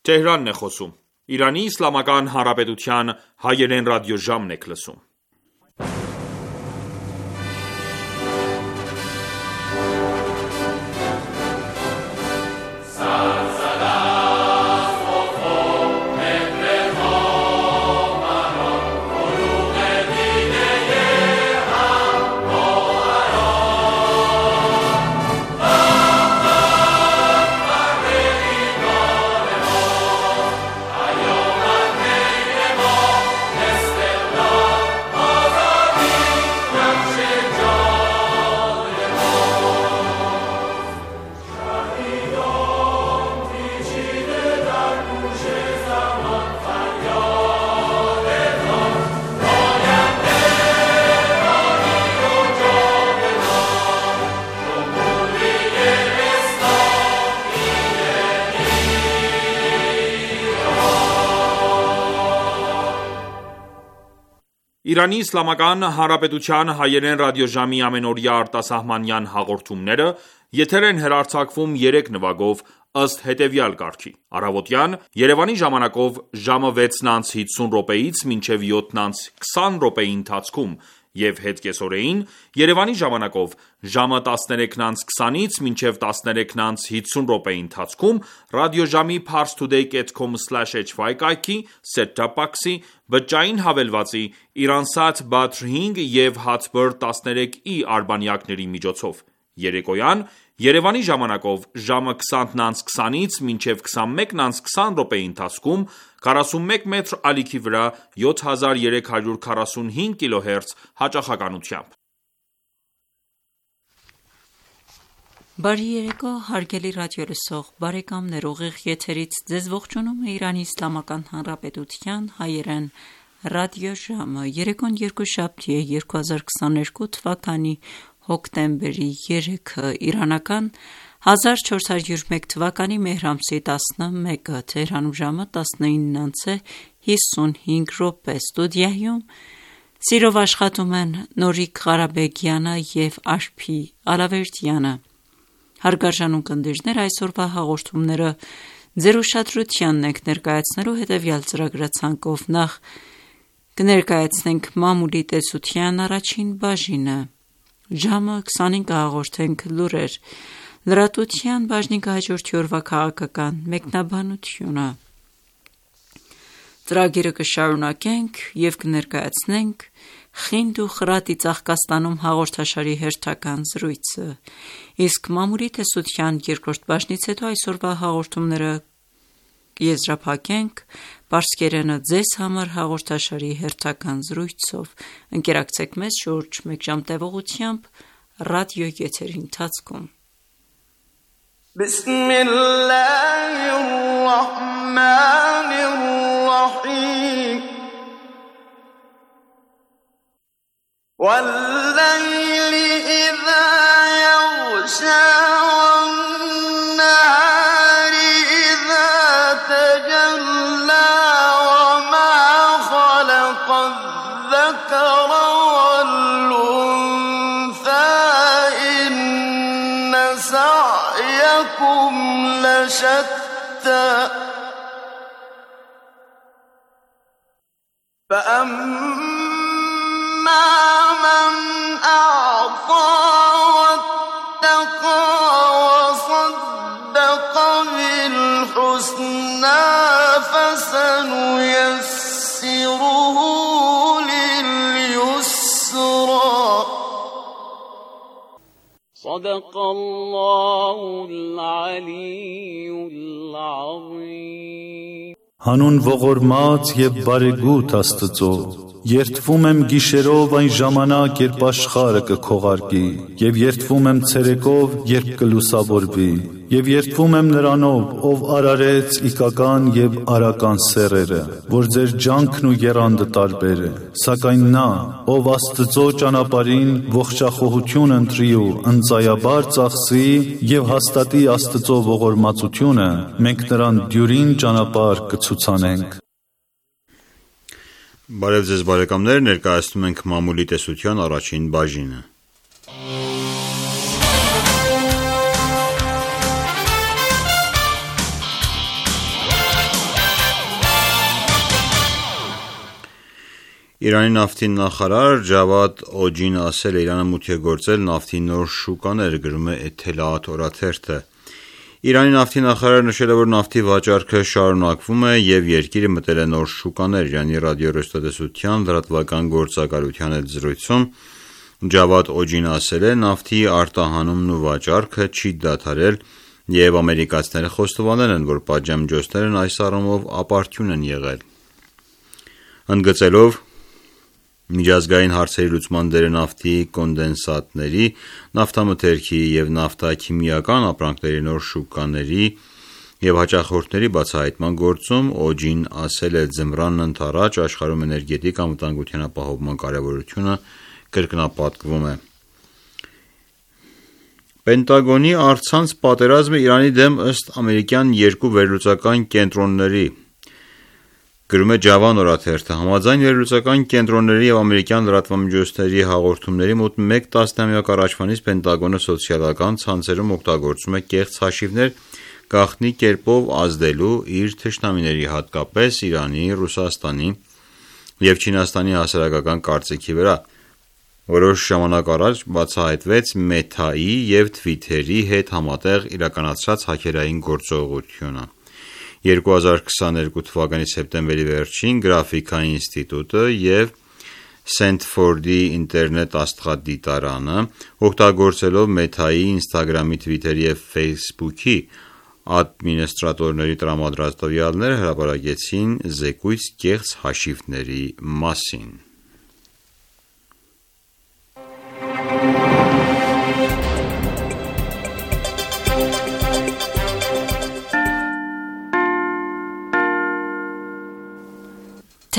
Թեհրանն է խոսում։ Իրանի Իսլամական Հանրապետության հայերեն ռադիոժամն եք լսում։ Իրանի Իսլամական Հանրապետության հայերեն ռադիոժամի ամենօրյա արտասահմանյան հաղորդումները եթեր են հեռարձակվում 3 նվագով ըստ հետևյալ կարգի. Առավոտյան Երևանի ժամանակով ժամը 6:50-ից մինչև 7:20 ընթացքում և հետկեսօրեին Երևանի ժամանակով ժամը 13:20-ից մինչև 13:50 ընթացքում ռադիոժամի parstoday.com/hy կայքի, set-top box-ի, բջջային հավելվածի, Iransat Badr 5 և Hatbird 13i արբանյակների միջոցով։ Երեկոյան Երևանի ժամանակով ժամը 20:20-ից մինչև 21:20 ընթացքում 41 մետր ալիքի վրա 7345 կիլոհերց հաճախականությամբ։ Բարի երեկո, հարգելի ռադիոլսող բարեկամներ, ուղիղ եթերից ձեզ ողջունում է Իրանի Իսլամական Հանրապետության հայերեն ռադիոժամը։ Երեկոն երկուշաբթի է 2022 թվականի հոկտեմբերի 3-ը, իրանական 1401 թվականի մեհր ամսի 11-ը, Թեհրանում ժամը 19:55, ստուդիայում սիրով աշխատում են Նորիկ Ղարաբեգյանը և Աշփի Ալավերդյանը։ Հարգարժան ունկնդիրներ, այսօրվա հաղորդումները ձեր ուշադրությանն ենք ներկայացնելու հետևյալ ծրագրացանկով. Նախ կներկայացնենք մամուլի տեսության առաջին բաժինը, ժամը 25 կհաղորդենք լուրեր, լրատվության բաժնի կհաջորդի օրվա քաղաքական մեկնաբանությունը։ Ծրագիրը կշարունակենք և կներկայացնենք «Խինդ ու խրատի Ծաղկաստանում» հաղորդաշարի հերթական զրույցը, իսկ մամուլի տեսության երկրորդ բաժնից հետո այսօրվա հաղորդումները կեզրափակենք «Պարսկերենը ձեզ համար» հաղորդաշարի հերթական զրույցով։ Ընկերակցեք մեզ շուրջ մեկ ժամ տևողությամբ ռադիոեթերի ընթացքում։ وَاللَّيْلِ إِذَا يَغْشَى وَالنَّهَارِ إِذَا تَجَلَّى وَمَا خَلَقَ الذَّكَرَ وَالْأُنثَى إِنَّ سَعْيَكُمْ لَشَتَّى من أعطى واتقى وصدق بالحسنى فسنيسره لليسرى صدق الله العلي العظيم Հանուն ողորմած և բարեգութ Աստծո, երդվում եմ գիշերով այն ժամանակ, երբ աշխարհը կքողարկի, և երդվում եմ ցերեկով, երբ կլուսավորվի, և երդվում եմ Նրանով, ով արարեց իգական և արական սեռերը, որ ձեր ջանքն ու եռանդը տարբեր է, սակայն նա, ով Աստծո ճանապարհին ողջախոհություն ընտրի ու ընծայաբար ծախսի և հաստատի Աստծո ողորմածությունը, մենք նրան դյուրին ճանապարհ կցուցանենք։ Բարև ձեզ բարեկամներ, ներկայացնում ենք մամուլի տեսության առաջին բաժինը։ Իրանի նավթի նախարար Ջավադ Օջին ասել է Իրանը մուտք է գործել նավթի նոր շուկաներ, գրում է Էթելաաթ օրաթերթը։ Իրանի նավթի նախարարը նշել է, որ նավթի վաճառքը շարունակվում է և երկիրը մտել է նոր շուկաներ։ Իրանի ռադիոհեռուստատեսության լրատվական գործակալության հետ զրույցում Ջավադ Օջին ասել է, նավթի արտահանումն ու վաճառքը չի դադարել և ամերիկացիները խոստովանել են, որ պատժամիջոցներն այս առումով ապարդյուն են եղել։ Ընդգծելով միջազգային հարցերի լուծման դերը նավթի կոնդենսատների, նավթամթերքի և նավթաքիմիական ապրանքների նոր շուկաների և հաճախորդների բացահայտման գործում Օջին ասել է, ձմռանն ընդառաջ աշխարհում էներգետիկ անվտանգության ապահովման կարևորությունը կրկնապատկվում է։ Պենտագոնի առցանց պատերազմը Իրանի դեմ ըստ ամերիկյան երկու վերլուծական կենտրոնների, գրում է Ջավան օրաթերթը, համաձայն վերլուծական կենտրոնների և ամերիկյան լրատվամիջոցների հաղորդումների մոտ մեկ տասնամյակ առաջվանից Պենտագոնը սոցիալական ցանցերում օգտագործում է կեղծ հաշիվներ գաղտնի կերպով ազդելու իր թշնամիների, հատկապես Իրանի, Ռուսաստանի և Չինաստանի հասարակական կարծիքի վրա։ Որոշ ժամանակ առաջ բացահայտվեց Մեթայի և Թվիթերի հետ համատեղ իրականացրած հաքերային գործողությունը։ 2022 թվականի սեպտեմբերի վերջին Գրաֆիկա ինստիտուտը և Սենթֆորդի ինտերնետ աստղադիտարանը օգտագործելով Մեթայի, Ինստագրամի, Թվիթերի և Ֆեյսբուքի ադմինիստրատորների տրամադրած տվյալները հրապարակեցին զեկույց կեղծ հաշիվների մասին։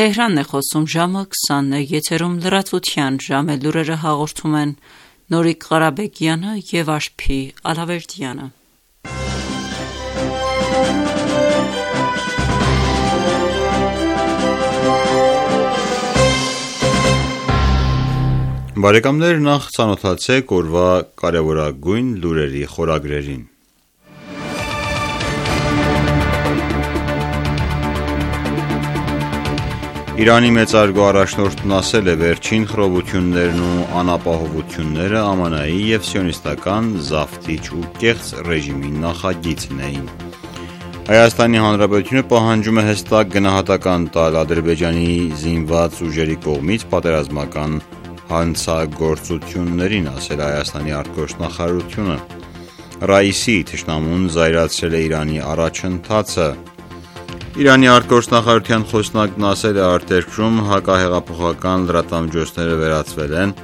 Թեհրանն է խոսում ժամը 20-ը, եթերում լրատվության ժամ է, լուրերը հաղորդում են Նորիկ Ղարաբեկյանը և Աշփի Ալավերդյանը։ Բարեկամներ, նախ ծանոթացեք օրվա կարևորագույն լուրերի խորագրերին։ Իրանի մեծարգո առաջնորդն ասել է, վերջին խռովություններն ու անապահովությունները ԱՄՆ-ի և սիոնիստական զավթիչ ու կեղծ ռեժիմի նախագիծն էին։ Հայաստանի Հանրապետությունը պահանջում է հստակ գնահատական տալ Ադրբեջանի զինված ուժերի կողմից պատերազմական հանցագործություններին, ասել Հայաստանի արտգործնախարարությունը։ Ռաիսի թշնամուն զայրացրել է Իրանի առաջընթացը։ Իրանի արտգործնախարարության խոսնակն ասել է, արտերկրում հակահեղափոխական լրատվամիջոցները վերածվել են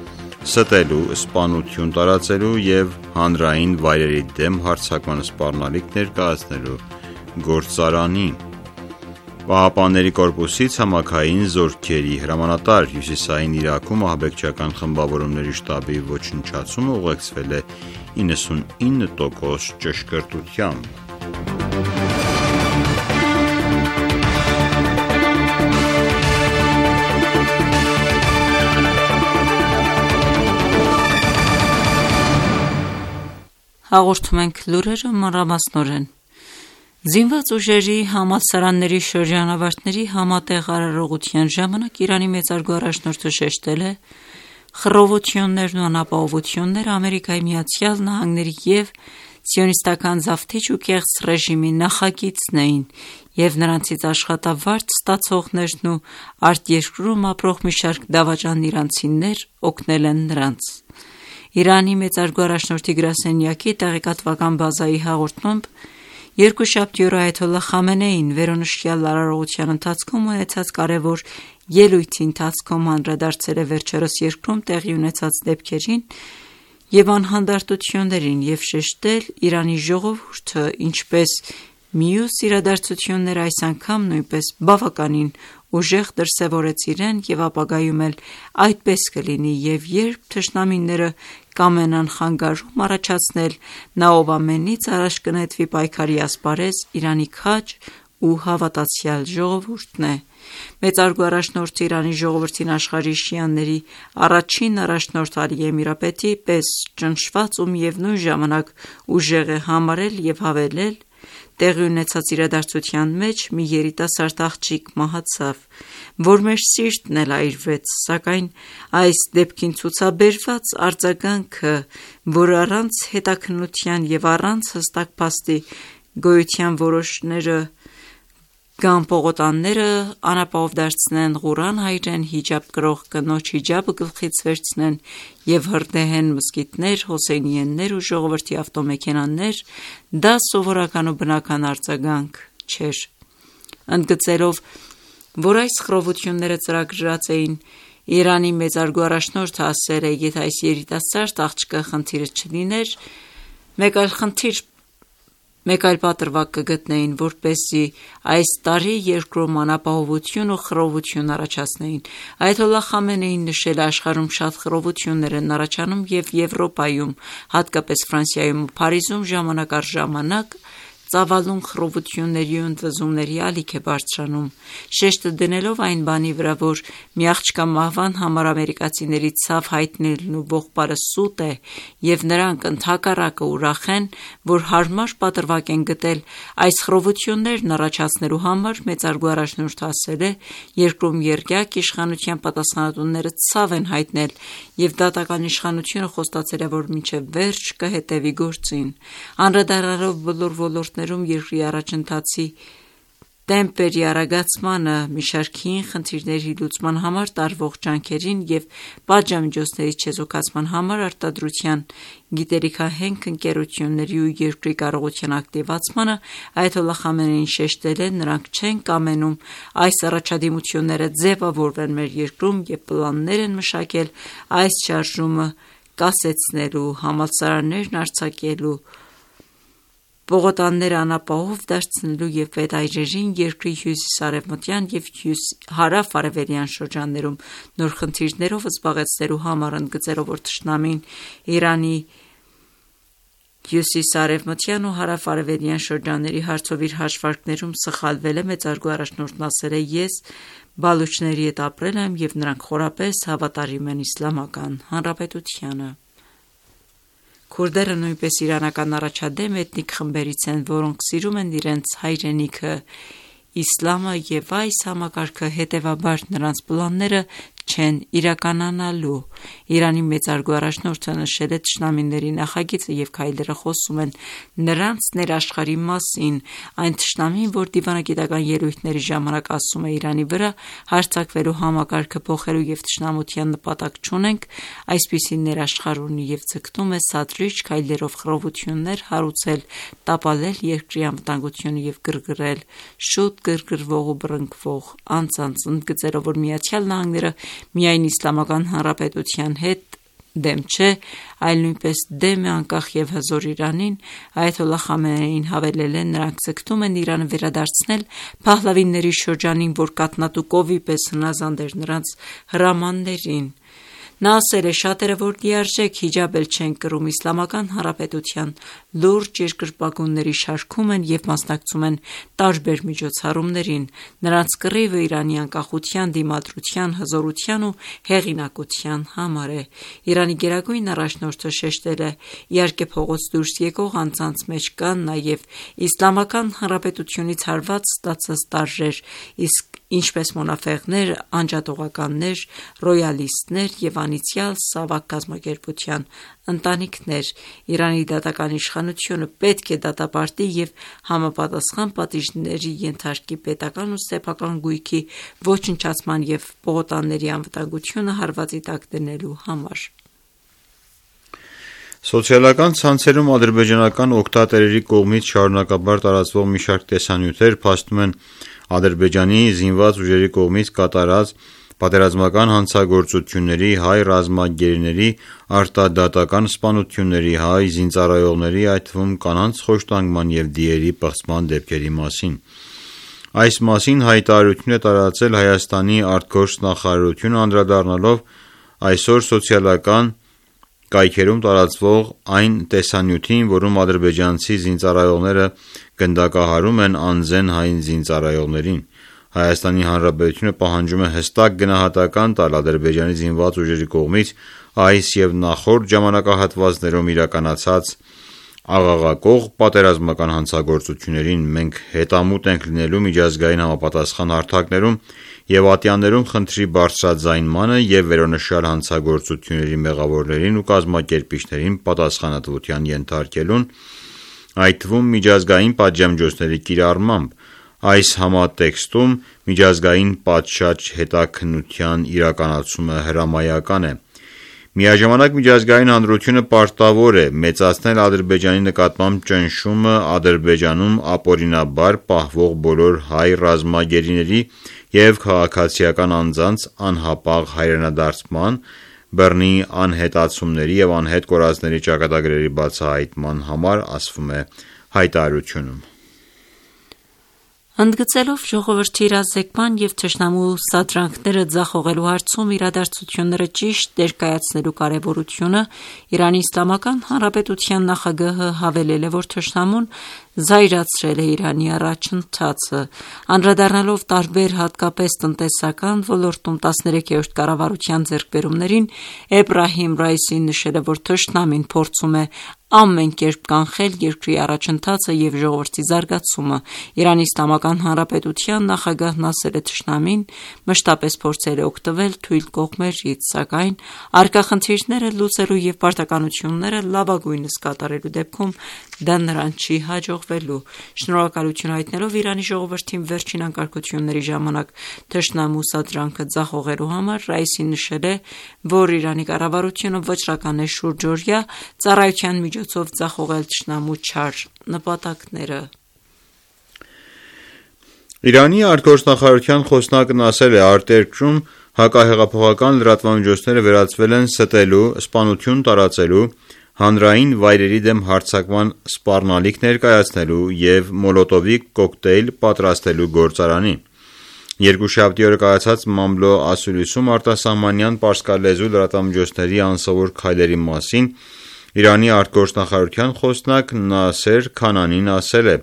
ստելու, սպանություն տարածելու և հանրային վայրերի դեմ հարձակման սպառնալիք ներկայացնելու գործարանի։ ԻՀՊԿ-ի ցամաքային զորքերի հրամանատար, Հյուսիսային Իրաքում ահաբեկչական խմբավորումների շտաբի ոչնչացումը ուղեկցվել է 99% ճշգրտությամբ։ Հաղորդում ենք լուրերը մանրամասնորեն։ Զինված ուժերի համալսարանների շրջանավարտների համատեղ արարողության ժամանակ Իրանի մեծարգո առաջնորդը շեշտել է, խռովություններն ու անապահովությունները Ամերիկայի Միացյալ Նահանգների և սիոնիստական զավթիչ ու կեղծ ռեժիմի նախագիծն էին և նրանցից աշխատավարձ ստացողներն ու արտերկրում ապրող մի շարք դավաճան իրանցիներ օգնել են նրանց։ Իրանի մեծարգո առաջնորդի գրասենյակի տեղեկատվական բազայի հաղորդմամբ երկուշաբթի օրը այաթոլլահ Խամենեին վերոնշյալ արարողության ընթացքում ունեցած կարևոր ելույթի ընթացքում անդրադարձել է վերջերս երկրում տեղի ունեցած դեպքերին և անհանդարտություններին և շեշտել Իրանի ժողովուրդը, ինչպես մյուս իրադարձությունները այս անգամ նույնպես բավականին ուժեղ դրսևորեց իրեն և ապագայում էլ այդպես կլինի և երբ թշնամիները կամենան խանգարում առաջացնել, նա ով ամենից առաջ կնետվի պայքարի ասպարեզ, Իրանի քաջ ու հավատացյալ ժողովուրդն է։ Մեծարգո առաջնորդը Իրանի ժողովրդին աշխարհի շիաների առաջին առաջնորդ Ալի Էմիրապետի պես ճնշված ու միևնույն ժամանակ ուժեղ է համարել և հավելել, Տեղի ունեցած իրադարձության մեջ մի երիտասարդ աղջիկ մահացավ, որ մեր սիրտն էլ այրվեց, սակայն այս դեպքին ցուցաբերված արձագանքը, որ առանց հետաքննության եւ առանց հստակ փաստի գոյության որոշները կամ պողոտանները անապահով դարձնեն, Ղուրան հայրեն, հիջաբ կրող կնոջ հիջաբը գլխից վերցնեն եւ հրդեհեն մզկիթներ, հոսեյնիեններ ու ժողովրդի ավտոմեքենաներ, դա սովորական ու բնական արձագանք չէր։ Ընդգծելով, որ այս խռովությունները ծրագրված էին, Իրանի մեծարգո առաջնորդը ասել է, եթե այս երիտասարդ աղջկա խնդիրը չլիներ, մեկ այլ պատրվակ կգտնեին, որպեսզի այս տարի երկրում անապահովություն ու խռովություն առաջացնեին։ Այաթոլլահ Խամենեին նշել է, աշխարհում շատ խռովություններ են առաջանում եւ Եվրոպայում, հատկապես Ֆրանսիայում ու Փարիզում ժամանակ առ ժամանակ ծավալուն խռովությունների ու ընդվզումների ալիք է բարձրանում, շեշտը դնելով այն բանի վրա, որ մի աղջկա մահվան համար ամերիկացիների ցավ հայտնելն ու ողբարը սուտ է եւ նրանք ընդհակառակը ուրախ են, որ հարմար պատրվակ են գտել այս խռովություններն առաջացնելու համար, մեծարգո առաջնորդը ասել է, երկրում երգյակ իշխանության պատասխանատուները ցավ են հայտնել եւ դատական իշխանությունը խոստացել է, որ մինչեւ վերջ կհետեւի գործին, անդրադառնալով բոլոր ոլորտներում երկրի առաջընթացի տեմպերի արագացմանը, մի շարք հին խնդիրների լուծման համար տարվող ջանքերին եւ պատժամիջոցների չեզոքացման համար արտադրության, գիտելիքահենք ընկերությունների ու երկրի կարողության ակտիվացմանը, այաթոլլահ Խամենեին շեշտել է, նրանք չեն կամենում այս առաջադիմությունները ձևավորվեն մեր երկրում եւ պլաններ են մշակել այս շարժումը կասեցնելու, համալսարաններն արձակելու, պողոտանները անապահով դարձնելու եւ պետայրերին երկրի հյուսիսարևմտյան եւ հարավ-արևելյան շրջաններում նոր խնդիրներով զբաղեցնելու համար, ընդգծելով, որ թշնամին Իրանի հյուսիսարևմտյան ու հարավ-արևելյան շրջանների հարցով իր հաշվարկներում սխալվել է, մեծարգո առաջնորդն ասել է, ես բալուչների հետ ապրել եմ եւ նրանք խորապես հավատարիմ են իսլամական հանրապետությանը։ Քուրդերը նույնպես իրանական առաջադեմ էթնիկ խմբերից են, որոնք սիրում են իրենց հայրենիքը, իսլամը եւ այս համակարգը հետեւաբար նրանց պլանները չեն իրականանալու։ Իրանի մեծարգո առաջնորդը նշել է թշնամիների նախագիծը եւ քայլերը խոսում են նրանց ներաշխարհի մասին, այն թշնամին, որ դիվանագիտական ելույթների ժամանակ ասում է Իրանի վրա հարձակվելու համակարգը փոխելու եւ թշնամության նպատակ չունենք, այսպիսի ներաշխարհ ունի եւ ձգտում է սադրիչ քայլերով խռովություններ հարուցել, տապալել երկրի անվտանգությունը եւ գրգռել շուտ գրգռվող ու բռնկվող անձանց, ընդգծելով, որ Միացյալ Նահանգները միայն իսլամական հանրապետության հետ դեմ չէ, այլ նույնպես դեմ է անկախ եւ հզոր Իրանին, այաթոլլահ Խամենեին հավելել է, նրանք ձգտում են Իրանը վերադարձնել Փահլավիների շրջանին, որ կաթնատու կովի պես հնազանդ էր նրանց հրամաններին։ Նա ասել է, շատերը, որ լիարժեք հիջաբ էլ չեն կրում, իսլամական հանրապետության լուրջ երկրպագունների շարքում են եւ մասնակցում են տարբեր միջոցառումներին։ Նրանց կռիվը Իրանի անկախության, դիմադրության, հզորության ու հեղինակության համար է։ Իրանի գերագույն առաջնորդը շեշտել է, իհարկե փողոց դուրս եկող անձանց մեջ կան նաեւ իսլամական հանրապետությունից հարված ստացած տարրեր, իսկ ինչպես մոնաֆեղներ, անջատողականներ, ռոյալիստներ եւ անիցյալ Սավակ կազմակերպության ընտանիքներ, Իրանի դատական իշխանությունը պետք է դատապարտի եւ համապատասխան պատիժների ենթարկի պետական ու սեփական գույքի ոչնչացման եւ պողոտանների անվտանգությունը հարվածի տակ դնելու համար։ Սոցիալական ցանցերում ադրբեջանական օգտատերերի կողմից շարունակաբար տարածվող մի շարք տեսանյութեր փաստում են Ադրբեջանի զինված ուժերի կողմից կատարած պատերազմական հանցագործությունների, հայ ռազմագերիների, արտադատական սպանությունների, հայ զինծառայողների, այդ թվում կանանց խոշտանգման եւ դիերի պղծման դեպքերի մասին։ Այս մասին հայտարարություն է տարածել Հայաստանի արտգործ նախարարությունը, անդրադառնալով այսօր սոցիալական կայքերում տարածվող այն տեսանյութին, որում ադրբեջանցի զինծառայողները գնդակահարում են անզեն հայ զինծառայողներին։ Հայաստանի Հանրապետությունը պահանջում է հստակ գնահատական տալ Ադրբեջանի զինված ուժերի կողմից այս եւ նախորդ ժամանակահատվածներում իրականացած աղաղակող պատերազմական հանցագործություններին մենք հետամուտ ենք լինելու միջազգային համապատասխան հարթակներում և ատյաններում խնդրի բարձրաձայնմանը և վերոնշյալ հանցագործությունների մեղավորներին ու կազմակերպիչներին պատասխանատվության ենթարկելուն, այդ թվում միջազգային պատժամիջոցների կիրառմամբ, այս համատեքստում միջազգային պատշաճ հետաքննության իրականացումը հրամայական է։ Միաժամանակ միջազգային հանրությունը պարտավոր է մեծացնել Ադրբեջանի նկատմամբ ճնշումը Ադրբեջանում ապօրինաբար պահվող բոլոր հայ ռազմագերիների և քաղաքացիական անձանց անհապաղ հայրենադարձման, բռնի անհետացումների և անհետ կորածների ճակատագրերի բացահայտման համար, ասվում է հայտարարությունում։ Ընդգծելով ժողովրդի իրազեկման և թշնամու սադրանքները ձախողելու հարցում իրադարձությունները ճիշտ ներկայացնելու կարևորությունը, Իրանի Իսլամական Հանրապետության նախագահը հավելել է, որ թշնամուն զայրացրել է Իրանի առաջընթացը, անդրադառնալով տարբեր, հատկապես տնտեսական ոլորտում 13-րդ կառավարության ձեռքբերումներին, Էբրահիմ Ռայիսին նշել է, որ թշնամին փորձում է ամեն կերպ կանխել երկրի առաջընթացը և ժողովրդի զարգացումը։ Իրանի Իսլամական Հանրապետության նախագահն ասել է թշնամին մշտապես փորձել է օգտվել թույլ կողմերից, սակայն առկա խնդիրները լուծելու և պարտականությունները լավագույնս կատարելու դեպքում դա նրան չի հաջողվելու։ Շնորհակալություն հայտնելով Իրանի ժողովրդին վերջին անկարգությունների ժամանակ թշնամու սադրանքը ձախողելու համար, Ռայիսին նշել է, որ Իրանի կառավարությունը վճռական է շուրջօրյա ծառայության միջոցով ձախողել թշնամու չար նպատակները։ Իրանի արտգործնախարարության խոսնակն ասել է, արտերկրում հակահեղափոխական լրատվամիջոցները վերածվել են ստելու, սպանություն տարածելու, հանրային վայրերի դեմ հարձակման սպառնալիք ներկայացնելու և մոլոտովի կոկտեյլ պատրաստելու գործարանի։ Երկուշաբթի օրը կայացած Մամլո ասուլիսում արտասահմանյան պարսկալեզու լրատվամիջոցների անսովոր քայլերի մասին Իրանի արտգործնախարարության խոսնակ Նասեր Քանանին ասել է.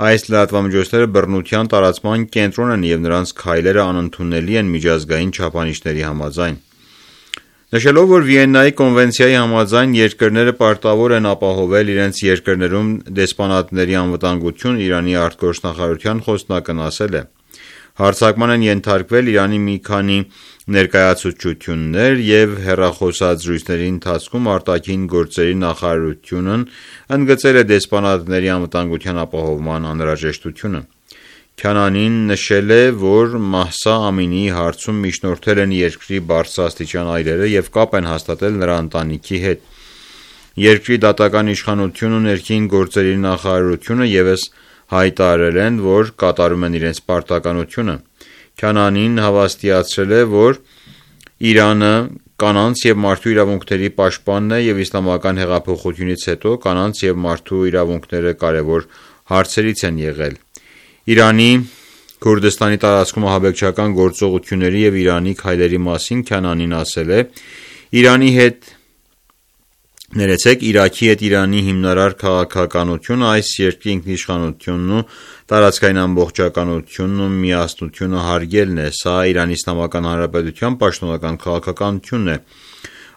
այս լրատվամիջոցները բռնության տարածման կենտրոն են և նրանց քայլերը անընդունելի են միջազգային չափանիշների համաձայն։ Նշելով, որ Վիեննայի կոնվենցիայի համաձայն երկրները պարտավոր են ապահովել իրենց երկրներում դեսպանատների անվտանգություն, Իրանի արտգործնախարարության խոսնակն ասել է. հարձակման են ենթարկվել Իրանի մի քանի ներկայացուցչություններ և հեռախոսազրույցների ընթացքում արտաքին գործերի նախարարությունն ընդգծել է դեսպանատների անվտանգության ապահովման անհրաժեշտությունը։ Քանանին նշել է, որ Մահսա Ամինիի հարցում միջնորդել են երկրի բարձրաստիճան այրերը և կապ են հաստատել նրա ընտանիքի հետ։ Երկրի դատական իշխանությունն ու ներքին գործերի նախարարությունը ևս հայտարարել են, որ կատարում են իրենց պարտականությունը։ Քանանին հավաստիացրել է, որ Իրանը կանանց և մարդու իրավունքների պաշտպանն է և իսլամական հեղափոխությունից հետո կանանց և մարդու իրավունքները կարևոր հարցերից են եղել։ Իրանի Քուրդստանի տարածքում ահաբեկչական գործողությունների և Իրանի քայլերի մասին Քանանին ասել է. Իրաքի հետ Իրանի հիմնարար քաղաքականությունը, այս երկրի ինքնիշխանությունն ու տարածքային ամբողջականությունն ու միասնությունը հարգելն է, սա Իրանի Իսլամական Հանրապետության պաշտոնական քաղաքականությունն է։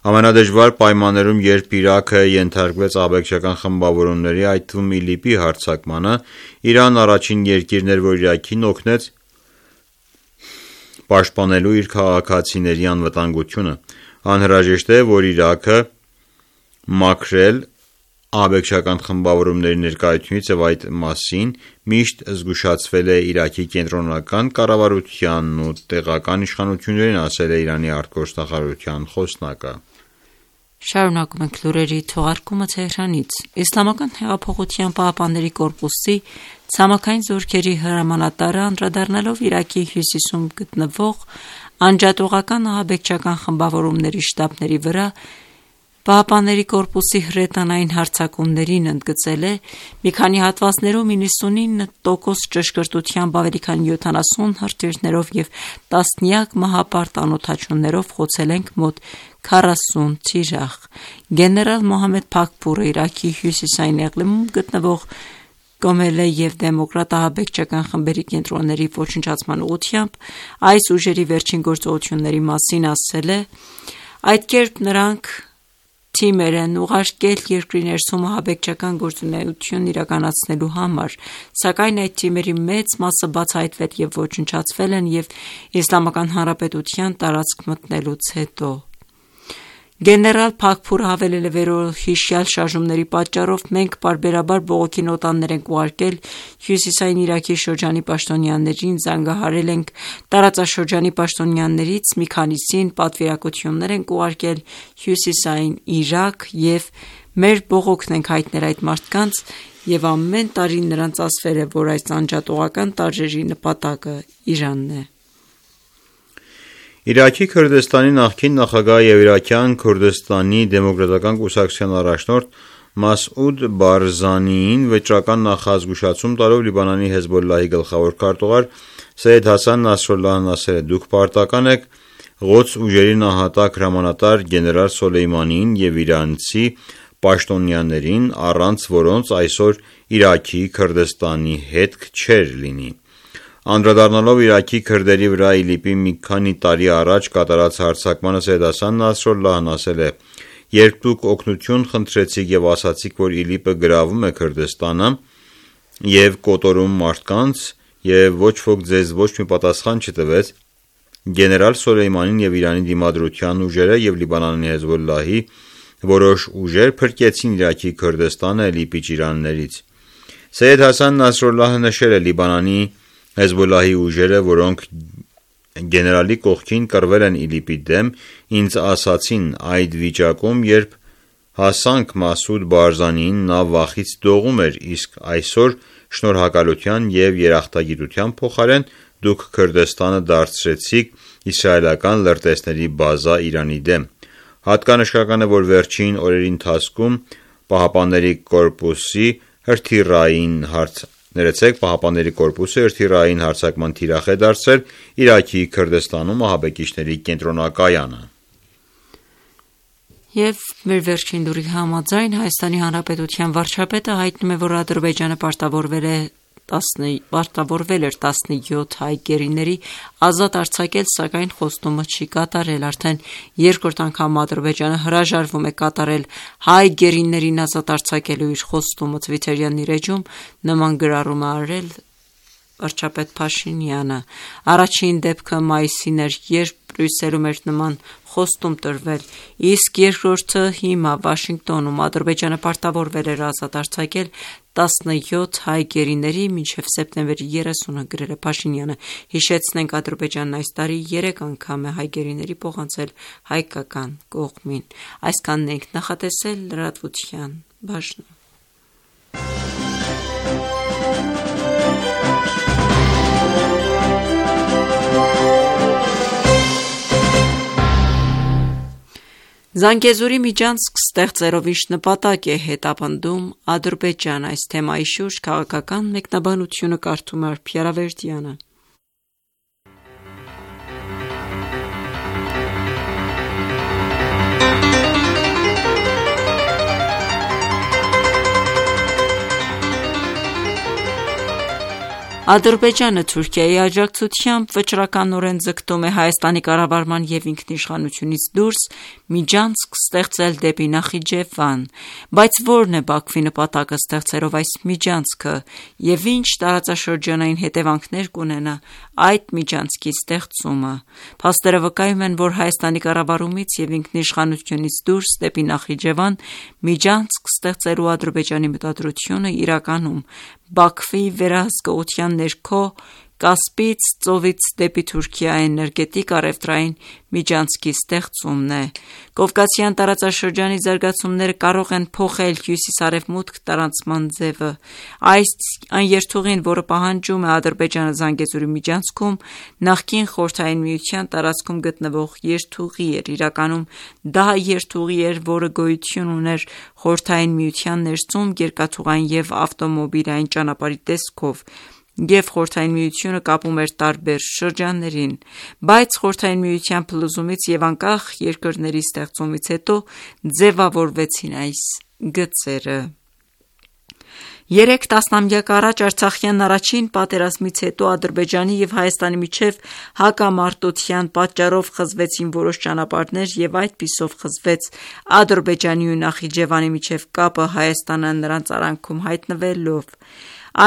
Ամենադժվար պայմաններում, երբ Իրաքը ենթարկվեց ահաբեկչական խմբավորումների, այդ թվում ԻԼԻՊ-ի հարձակմանը, Իրանն առաջին երկիրն էր, որ Իրաքին օգնեց պաշտպանելու իր քաղաքացիների անվտանգությունը։ Անհրաժեշտ է, որ Իրաքը մաքրել ահաբեկչական խմբավորումների ներկայությունից և այդ մասին միշտ զգուշացվել է Իրաքի կենտրոնական կառավարությանն ու տեղական իշխանություններին, ասել է Իրանի արտգործնախարարության խոսնակը։ Շարունակում ենք լուրերի թողարկումը Թեհրանից։ Իսլամական հեղափոխության պահապանների կորպուսի ցամաքային զորքերի հրամանատարը անդրադառնալով Իրաքի հյուսիսում գտնվող անջատողական ահաբեկչական խմբավորումների շտաբների վրա Պահապանների կորպուսի հրետանային հարձակումներին, ընդգծել է. մի քանի հատվածներում 99% ճշգրտությամբ ավելի քան 70 հրթիռներով և տասնյակ մահապարտ անօդաչուներով խոցել ենք մոտ 40 թիրախ։ Գեներալ Մոհամմեդ Փաքփուրը Իրաքի հյուսիսային Էղլիմում գտնվող Կոմելե և դեմոկրատ ահաբեկչական խմբերի կենտրոնների ոչնչացման ուղղությամբ այս ուժերի վերջին գործողությունների մասին ասել է. այդ կերպ նրանք թիմեր են ուղարկել երկրի ներսում ահաբեկչական գործունեություն իրականացնելու համար, սակայն այդ թիմերի մեծ մասը բացահայտվել և ոչնչացվել են և Իսլամական Հանրապետության տարածք մտնելուց հետո։ Գեներալ Փաքփուրը հավելել է վերոհիշյալ շարժումների պատճառով մենք պարբերաբար բողոքի նոտաներ ենք ուղարկել հյուսիսային Իրաքի շրջանի պաշտոնյաներին, զանգահարել ենք տարածաշրջանի պաշտոնյաներից մի քանիսին, պատվիրակություններ ենք ուղարկել հյուսիսային Իրաք և մեր բողոքն ենք հայտնել այդ մարդկանց և ամեն տարի նրանց ասվել է, որ այս անջատողական տարրերի նպատակը Իրանն է։ Իրաքի Քրդստանի նախկին նախագահ և Իրաքյան Քուրդստանի դեմոկրատական կուսակցության առաջնորդ Մասուդ Բարզանիին վճռական նախազգուշացում տալով Լիբանանի Հեզբոլլահի գլխավոր քարտուղար Սեյեդ Հասան Նասրալլահն ասել է. «Դուք պարտական եք Ղոդս ուժերի նահատակ հրամանատար գեներալ Սոլեյմանիին և իրանցի պաշտոնյաներին, առանց որոնց այսօր Իրաքի Քրդստանի հետք չէր լինի»։ Անդրադառնալով Իրաքի քրդերի վրա ԻԼԻՊ-ի մի քանի տարի առաջ կատարած հարձակմանը Սեյեդ Հասան Նասրալլահն ասել է. «Երբ դուք օգնություն խնդրեցիք և ասացիք, որ ԻԼԻՊ-ը գրավում է Քրդստանը և կոտորում մարդկանց և ոչ ոք ձեզ ոչ մի պատասխան չտվեց, գեներալ Սոլեյմանին և Իրանի դիմադրության ուժերը և Լիբանանի Հեզբոլլահի որոշ ուժեր փրկեցին Իրաքի Քրդստանը ԻԼԻՊ-ի ճիրաններից»։ Սեյեդ Հասան Նասրալլահը նշել է. «Լիբանանի Հեզբոլլահի ուժերը, որոնք գեներալի կողքին կռվել են ԻԼԻՊ-ի դեմ, ինձ ասացին այդ վիճակում, երբ հասանք Մասուդ Բարզանիին, նա վախից դողում էր, իսկ այսօր շնորհակալության և երախտագիտության փոխարեն դուք Քրդստանը դարձրեցիք իսրայելական լրտեսների բազա Իրանի դեմ»։ Հատկանշական է, որ վերջին օրերի ընթացքում Պահապանների կորպուսը հրթիռային հարձակման թիրախ է դարձրել Իրաքի Քրդստանում ահաբեկիչների կենտրոնակայանը։ Եվ մեր վերջին լուրի համաձայն Հայաստանի Հանրապետության վարչապետը հայտնում է, որ Ադրբեջանը պարտավորվել էր 17 հայ գերիների ազատ արձակել, սակայն խոստումը չի կատարել։ Արդեն երկրորդ անգամ Ադրբեջանը հրաժարվում է կատարել հայ գերիներին ազատ արձակելու իր խոստումը։ Թվիթերյան իր էջում նման գրառում է արել վարչապետ Փաշինյանը։ Առաջին դեպքը մայիսին էր, երբ Բրյուսելում էր նման խոստում տրվել, իսկ երկրորդը հիմա Վաշինգտոնում։ Ադրբեջանը պարտավորվել էր ազատ արձակել 17 հայ գերիների մինչև սեպտեմբերի 30-ը, գրել է Փաշինյանը։ Հիշեցնենք, Ադրբեջանն այս տարի 3 անգամ է հայ գերիների փոխանցել հայկական կողմին։ Այսքանն ենք նախատեսել լրատվության բաժնում։ Զանգեզուրի միջանցք ստեղծելով ինչ նպատակ է հետապնդում Ադրբեջանը։ Այս թեմայի շուրջ քաղաքական մեկնաբանությունը կարդում է Արփի Արավերդյանը։ Ադրբեջանը Թուրքիայի աջակցությամբ վճռականորեն ձգտում է Հայաստանի կառավարման և ինքնիշխանությունից դուրս միջանցք ստեղծել դեպի Նախիջևան, բայց ո՞րն է Բաքվի նպատակը ստեղծելով այս միջանցքը և ինչ տարածաշրջանային հետևանքներ կունենա այդ միջանցքի ստեղծումը։ Փաստերը վկայում են, որ Հայաստանի կառավարումից և ինքնիշխանությունից դուրս դեպի Նախիջևան միջանցք ստեղծելու Ադրբեջանի մտադրությունը իրականում Բաքվի վերահսկողության ներքո Կասպից ծովից դեպի Թուրքիա էներգետիկ առևտրային միջանցքի ստեղծումն է։ Կովկասյան տարածաշրջանի զարգացումները կարող են փոխել հյուսիս-արևմուտք տարանցման ձևը։ Այն երթուղին, որը պահանջում է Ադրբեջանը Զանգեզուրի միջանցքում, նախկին Խորհրդային Միության տարածքում գտնվող երթուղի էր։ Իրականում դա երթուղի էր, որը գոյություն ուներ Խորհրդային Միության ներսում երկաթուղային և ավտոմոբիլային ճանապարհի տեսքով, և Խորհրդային Միությունը կապում էր տարբեր շրջաններին, բայց Խորհրդային Միության փլուզումից և անկախ երկրների ստեղծումից հետո ձևավորվեցին այս գծերը։ 3 տասնամյակ առաջ Արցախյան առաջին պատերազմից հետո Ադրբեջանի և Հայաստանի միջև հակամարտության պատճառով խզվեցին որոշ ճանապարհներ և այդպիսով խզվեց Ադրբեջանի ու Նախիջևանի միջև կապը Հայաստանը նրանց արանքում հայտնվելով: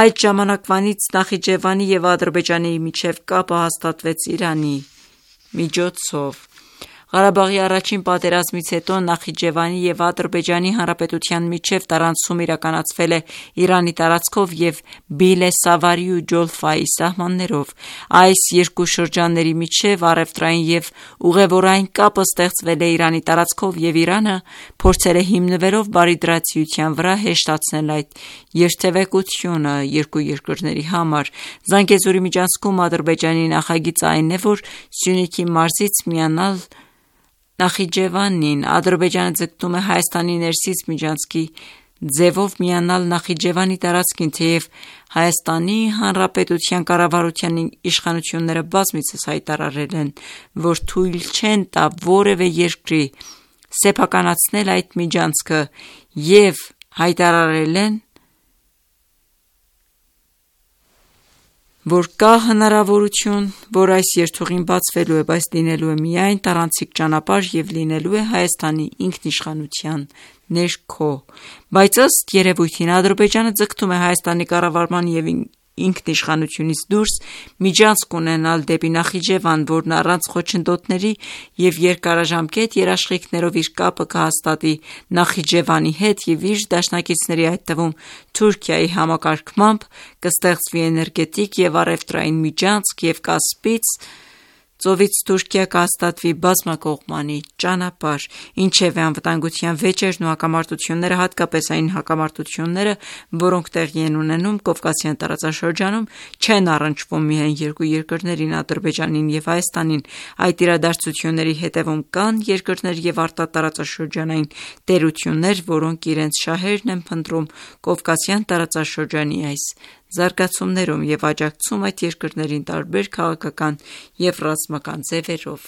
Այդ ժամանակվանից Նախիջևանի և Ադրբեջանի միջև կապը հաստատվեց Իրանի միջոցով: Ղարաբաղի առաջին պատերազմից հետո Նախիջևանի և Ադրբեջանի Հանրապետության միջև տարանցում իրականացվել է Իրանի տարածքով և Բիլե-Սավարի ու Ջոլֆայի սահմաններով: Այս երկու շրջանների միջև առևտրային և ուղևորային կապը ստեղծվել է Իրանի տարածքով և Իրանը փորձել է հիմնվելով բարիդրացիության վրա հեշտացնել այդ երթևեկությունը երկու երկրների համար: Զանգեզուրի միջանցքում Ադրբեջանի նախագիծը այն է, որ Սյունիքի մարզից միանալ Նախիջևանին: Ադրբեջանը ձգտում է Հայաստանի ներսից միջանցքի ձևով միանալ Նախիջևանի տարածքին, թեև Հայաստանի Հանրապետության կառավարության իշխանությունները բազմիցս հայտարարել են, որ թույլ չեն տա որևէ երկրի սեփականացնել այդ միջանցքը և հայտարարել են, որ կա հնարավորություն, որ այս երթուղին բացվելու է, բայց լինելու է միայն տարանցիկ ճանապարհ և լինելու է Հայաստանի ինքնիշխանության ներքո: Բայց ըստ երևույթին Ադրբեջանը ձգտում է Հայաստանի կառավարման և ինքնիշխանությունից դուրս միջանցք ունենալ դեպի Նախիջևան, որն առանց խոչընդոտների և երկարաժամկետ երաշխիքներով իր կապը կհաստատի Նախիջևանի հետ և իր դաշնակիցների, այդ թվում Թուրքիայի համակարգմամբ կստեղծվի էներգետիկ և առևտրային միջանցք և Կասպից ծովից Թուրքիա կհաստատվի բազմակողմանի ճանապարհ: Ինչևէ, անվտանգության վեճերն ու հակամարտությունները, հատկապես այն հակամարտությունները, որոնք տեղի են ունենում Կովկասյան տարածաշրջանում, չեն առնչվում միայն երկու երկրներին՝ Ադրբեջանին և Հայաստանին: Այդ իրադարձությունների հետևում կան երկրներ և արտատարածաշրջանային տերություններ, որոնք իրենց շահերն են փնտրում Կովկասյան տարածաշրջանի այս զարգացումներում և աջակցում այդ երկրներին տարբեր քաղաքական և ռազմական ձևերով: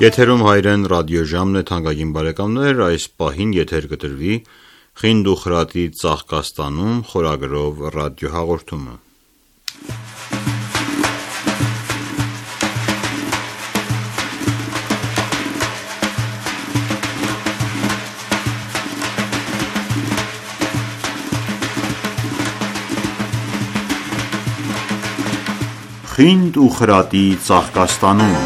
Եթերում հայրեն ռադիոժամն է, թանկագին բարեկամներ: Այս պահին եթեր կտրվի «Խինդ ու խրատի ծաղկաստանում» խորագրով ռադիոհաղորդումը: «Խինդ ու խրատի ծաղկաստանում»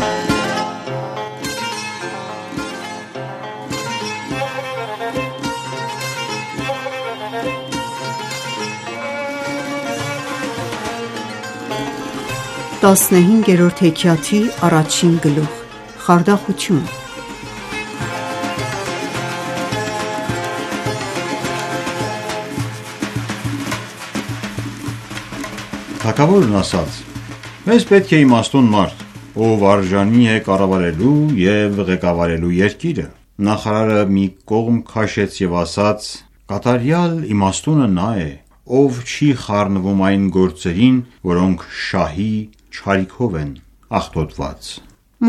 Տասնհինգերորդ հեքիաթի առաջին գլուխ. Խարդախություն: Թագավորն ասաց. «Մեզ պետք է իմաստուն մարդ, ով արժանի է կառավարելու և ղեկավարելու երկիրը»: Նախարարը մի կողմ քաշեց և ասաց. «Կատարյալ իմաստունը նա է, ով չի խառնվում այն գործերին, որոնք շահի չարիքով են աղտոտված»: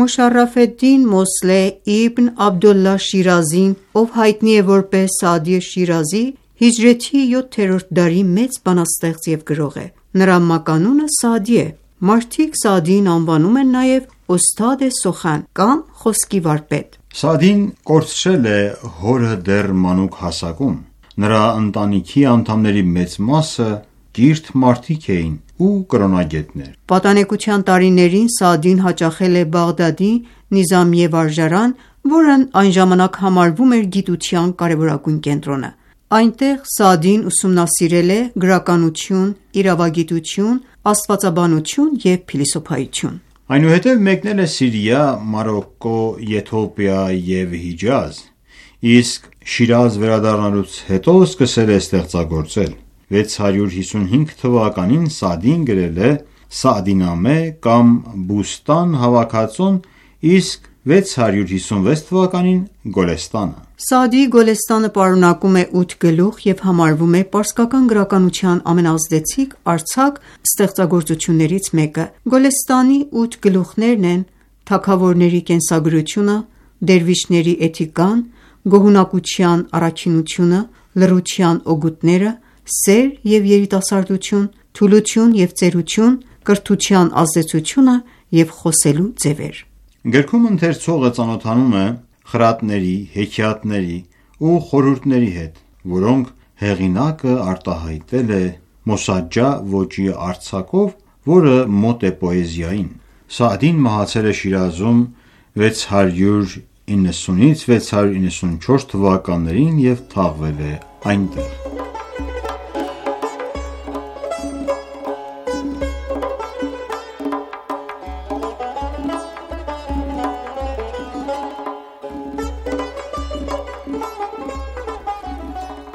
Մոշարաֆ ալ-Դին Մոսլեհ Իբն Աբդոլլահ Շիրազին, ով հայտնի է որպես Սաադի Շիրազի, հիջրեթի 7-րդ դարի մեծ բանաստեղծ և գրող է: Նրա մականունը Սաադի է: Մարդիկ Սաադիին անվանում են նաև Օսթադ Սոխան կամ խոսքի վարպետ: Սաադին կորցրել է հորը դեռ մանուկ հասակում: Նրա ընտանիքի անդամների մեծ մասը կիրթ մարդիկ էին ու կրոնագետներ: Պատանեկության տարիներին Սաադին հաճախել է Բաղդադի Նիզամիե վարժարան, որն այն ժամանակ համարվում էր գիտության կարևորագույն կենտրոնը: Այնտեղ Սաադին ուսումնասիրել է գրականություն, իրավագիտություն, աստվածաբանություն և փիլիսոփայություն: Այնուհետև մեկնել է Սիրիա, Մարոկկո, Եթովպիա և Հիջազ, իսկ Շիրազ վերադառնալուց հետո սկսել է ստեղծագործել: 655 թվականին Սաադին գրել է «Սաադինամե» կամ «Բուստան» հավաքածուն, իսկ 656 թվականին Գոլեստանը։ Սաադիի Գոլեստանը պարունակում է 8 գլուխ և համարվում է պարսկական գրականության ամենաազդեցիկ արձակ ստեղծագործություններից մեկը։ Գոլեստանի 8 գլուխներն են թագավորների կենսագրությունը, դերվիշների էթիկան, գոհունակության առաքինությունը, լռության օգուտները, սեր և երիտասարդություն, թուլություն և ծերություն, կրթության ազդեցությունը և խոսելու ձևեր։ Գրքում ընթերցողը ծանոթանում է խրատների, հեքիաթների ու խորհուրդների հետ, որոնք հեղինակը արտահայտել է մոսաջա ոճի արձակով, որը մոտ է պոեզիային։ Սաադին մահացել է Շիրազում 690-694 թվականներին և թաղվել է այնտեղ։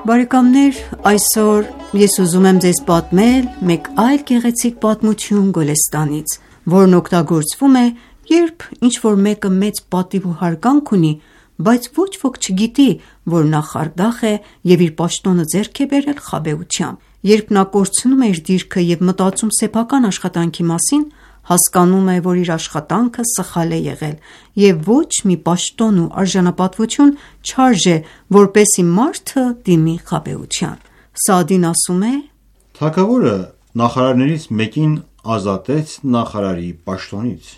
Բարեկամներ, այսօր ես ուզում եմ ձեզ պատմել մեկ այլ գեղեցիկ պատմություն Գոլեստանից, որն օգտագործվում է, երբ ինչ-որ մեկը մեծ պատիվ ու հարգանք ունի, բայց ոչ ոք չգիտի, որ նա խարդախ է և իր պաշտոնը ձեռք է բերել խաբեությամբ։ Երբ նա կորցնում է իր դիրքը և մտածում սեփական աշխատանքի մասին, հասկանում է, որ իր աշխատանքը սխալ է եղել և ոչ մի պաշտոն ու արժանապատվություն չարժե, որպեսզի մարդը դիմի խաբեության։ Սաադին ասում է. Թագավորը նախարարներից մեկին ազատեց նախարարի պաշտոնից։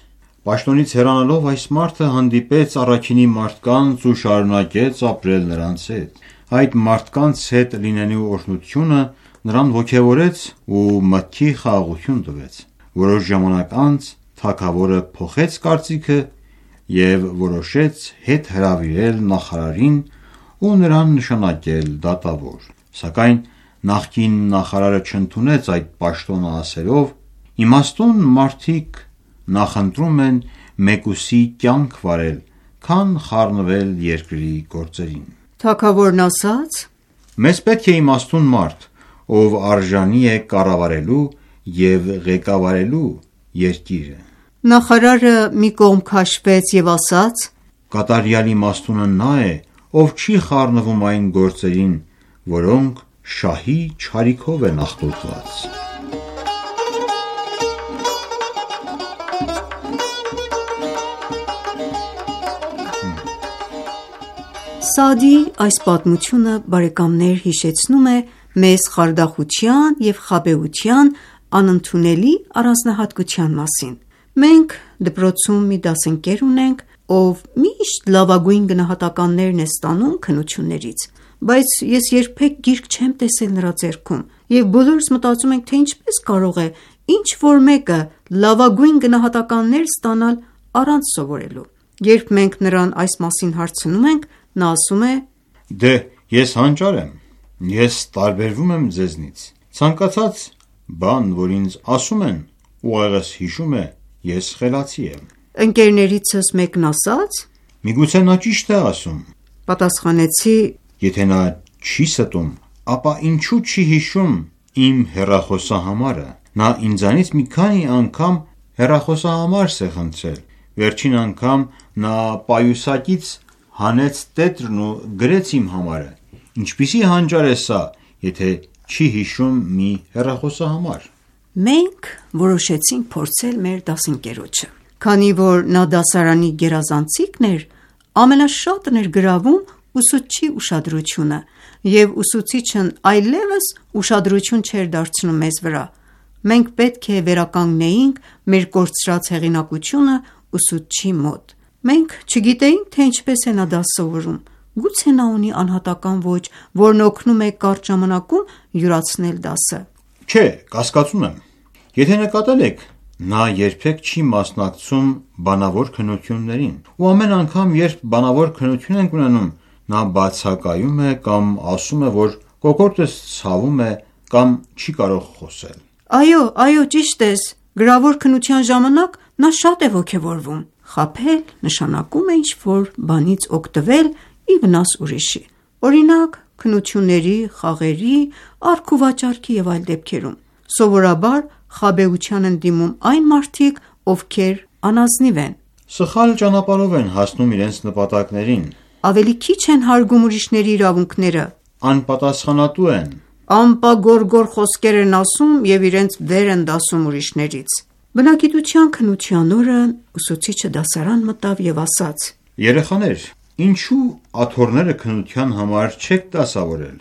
Պաշտոնից հեռանալով այս մարդը հանդիպեց առաքինի մարդկանց ու շարունակեց ապրել նրանց հետ։ Այդ մարդկանց հետ լինելու օրհնությունը նրան ոգևորեց ու մտքի խաղաղություն տվեց։ Որոշ ժամանակ անց թագավորը փոխեց կարծիքը և որոշեց հետ հրավիրել նախարարին ու նրան նշանակել դատավոր։ Սակայն նախկին նախարարը չընդունեց այդ պաշտոնը, ասելով. «Իմաստուն մարդիկ նախընտրում են մեկուսի կյանք վարել, քան խառնվել երկրի գործերին»։ Թագավորն ասաց. «Մեզ պետք է իմաստուն մարդ, ով արժանի է կառավարելու և ղեկավարելու երկիրը»։ Նախարարը մի կողմ քաշվեց և ասաց. «Կատարյալ իմաստունը նա է, ով չի խառնվում այն գործերին, որոնք շահի չարիքով են աղտոտված»։ Սաադիի այս պատմությունը, բարեկամներ, հիշեցնում է մեզ խարդախության և խաբեության անընդունելի առանձնահատկության մասին։ Մենք դպրոցում մի դասընկեր ունենք, ով միշտ լավագույն գնահատականներն է ստանում քննություններից, բայց ես երբեք գիրք չեմ տեսել նրա ձեռքում, և բոլորս մտածում ենք, թե ինչպես կարող է ինչ-որ մեկը լավագույն գնահատականներ ստանալ առանց սովորելու։ Երբ մենք նրան այս մասին հարցնում ենք, նա ասում է. «Դե, ես հանճար եմ, ես տարբերվում եմ ձեզնից։ Ցանկացած բան, որ ինձ ասում են, ուղեղս հիշում է, ես խելացի եմ»։ Ընկերներիցս մեկն ասաց. «Միգուցե նա ճիշտ է ասում»։ Պատասխանեցի. «Եթե նա չի ստում, ապա ինչու չի հիշում իմ հեռախոսահամարը։ Նա ինձանից մի քանի անգամ հեռախոսահամար է խնդրել։ Վերջին անգամ նա պայուսակից հանեց տետրն ու գրեց իմ համարը։ Ինչպիսի հանճար է սա, եթե չի հիշում մի հեռախոսահամար»։ Մենք որոշեցինք փորձել մեր դասընկերոջը։ Քանի որ նա դասարանի գերազանցիկն էր, ամենաշատն էր գրավում ուսուցչի ուշադրությունը, և ուսուցիչն այլևս ուշադրություն չէր դարձնում մեզ վրա։ Մենք պետք է վերականգնեինք մեր կորցրած հեղինակությունը ուսուցչի մոտ։ Մենք չգիտեինք, թե ինչպես է նա դաս սովորում։ Գուցե նա ունի անհատական ոճ, որն օգնում է կարճ ժամանակում յուրացնել դասը։ Չէ, կասկածում եմ։ Եթե նկատել եք, նա երբեք չի մասնակցում բանավոր քննություններին, ու ամեն անգամ, երբ բանավոր քննություն ենք ունենում, նա բացակայում է կամ ասում է, որ կոկորդս ցավում է կամ չի կարող խոսել։ Այո, ճիշտ ես։ Գրավոր քննության ժամանակ նա շատ է ոգևորվում։ Խաբել նշանակում է ինչ-որ բանից օգտվել ի վնաս ուրիշի։ Օրինակ, քննությունների, խաղերի, առք-ու-վաճառքի և այլ դեպքերում։ Սովորաբար խաբեության են դիմում այն մարդիկ, ովքեր անազնիվ են։ Սխալ ճանապարհով են հասնում իրենց նպատակներին, Ավելի քիչ են հարգում ուրիշների իրավունքները, անպատասխանատու են, անպագորգոր խոսքեր են ասում և իրենց վեր են դասում ուրիշներից։ Բնագիտության քննության օրը ուսուցիչը դասարան մտավ և ասաց. Երեխաներ, ինչու աթոռները քննության համար չեք դասավորել։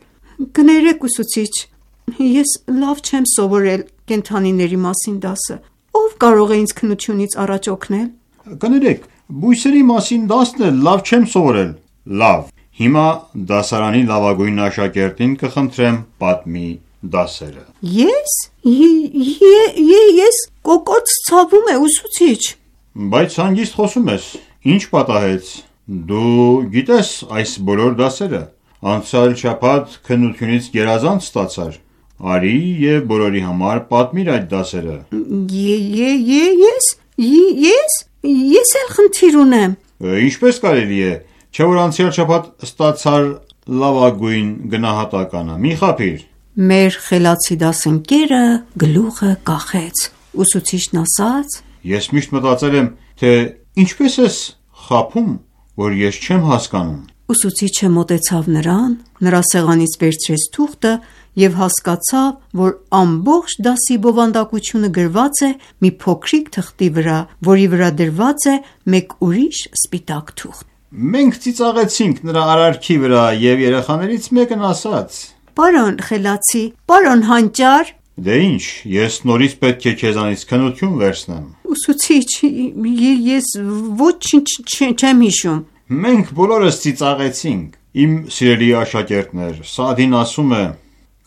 Կներեք ուսուցիչ, ես լավ չեմ սովորել կենդանիների մասին դասը, ով կարող է ինձ քննությունից առաջ օգնել։ Կներեք, բույսերի մասին դասն էլ լավ չեմ սովորել։ Լավ, հիմա դասարանի լավագույն աշակերտին կխնդրեմ պատմի դասերը։ Ես կոկորդ ցավում է ուսուցիչ։ Բայց հանգիստ խոսում ես, ինչ պատահեց։ Դու գիտես այս բոլոր դասերը։ Անցյալ շաբաթ քննությունից գերազանց ստացար։ Արի և բոլորի համար պատմիր այդ դասերը։ Ես էլ խնդիր ունեմ։ Ինչպես կարելի է, չէ որ անցյալ շաբաթ ստացար լավագույն գնահատականը, մի խաբիր։ Մեր խելացի դասընկերը գլուխը կախեց։ Ուսուցիչն ասաց. Ես միշտ մտածել եմ, թե ինչպես ես խաբում, որ ես չեմ հասկանում։ Ուսուցիչը մոտեցավ նրան, նրա սեղանից վերցրեց թուղթը և հասկացավ, որ ամբողջ դասի բովանդակությունը գրված է մի փոքրիկ թղթի վրա, որի վրա դրված է մեկ ուրիշ սպիտակ թուղթ։ Մենք ծիծաղեցինք նրա արարքի վրա և երեխաներից մեկն ասաց. Պարոն խելացի, պարոն հանճար։ Դե ինչ, ես նորից պետք է քեզանից քննություն վերցնեմ։ Ուսուցիչ, ես ոչինչ չեմ հիշում։ Մենք բոլորս ծիծաղեցինք։ Իմ սիրելի աշակերտներ, Սաադին ասում է.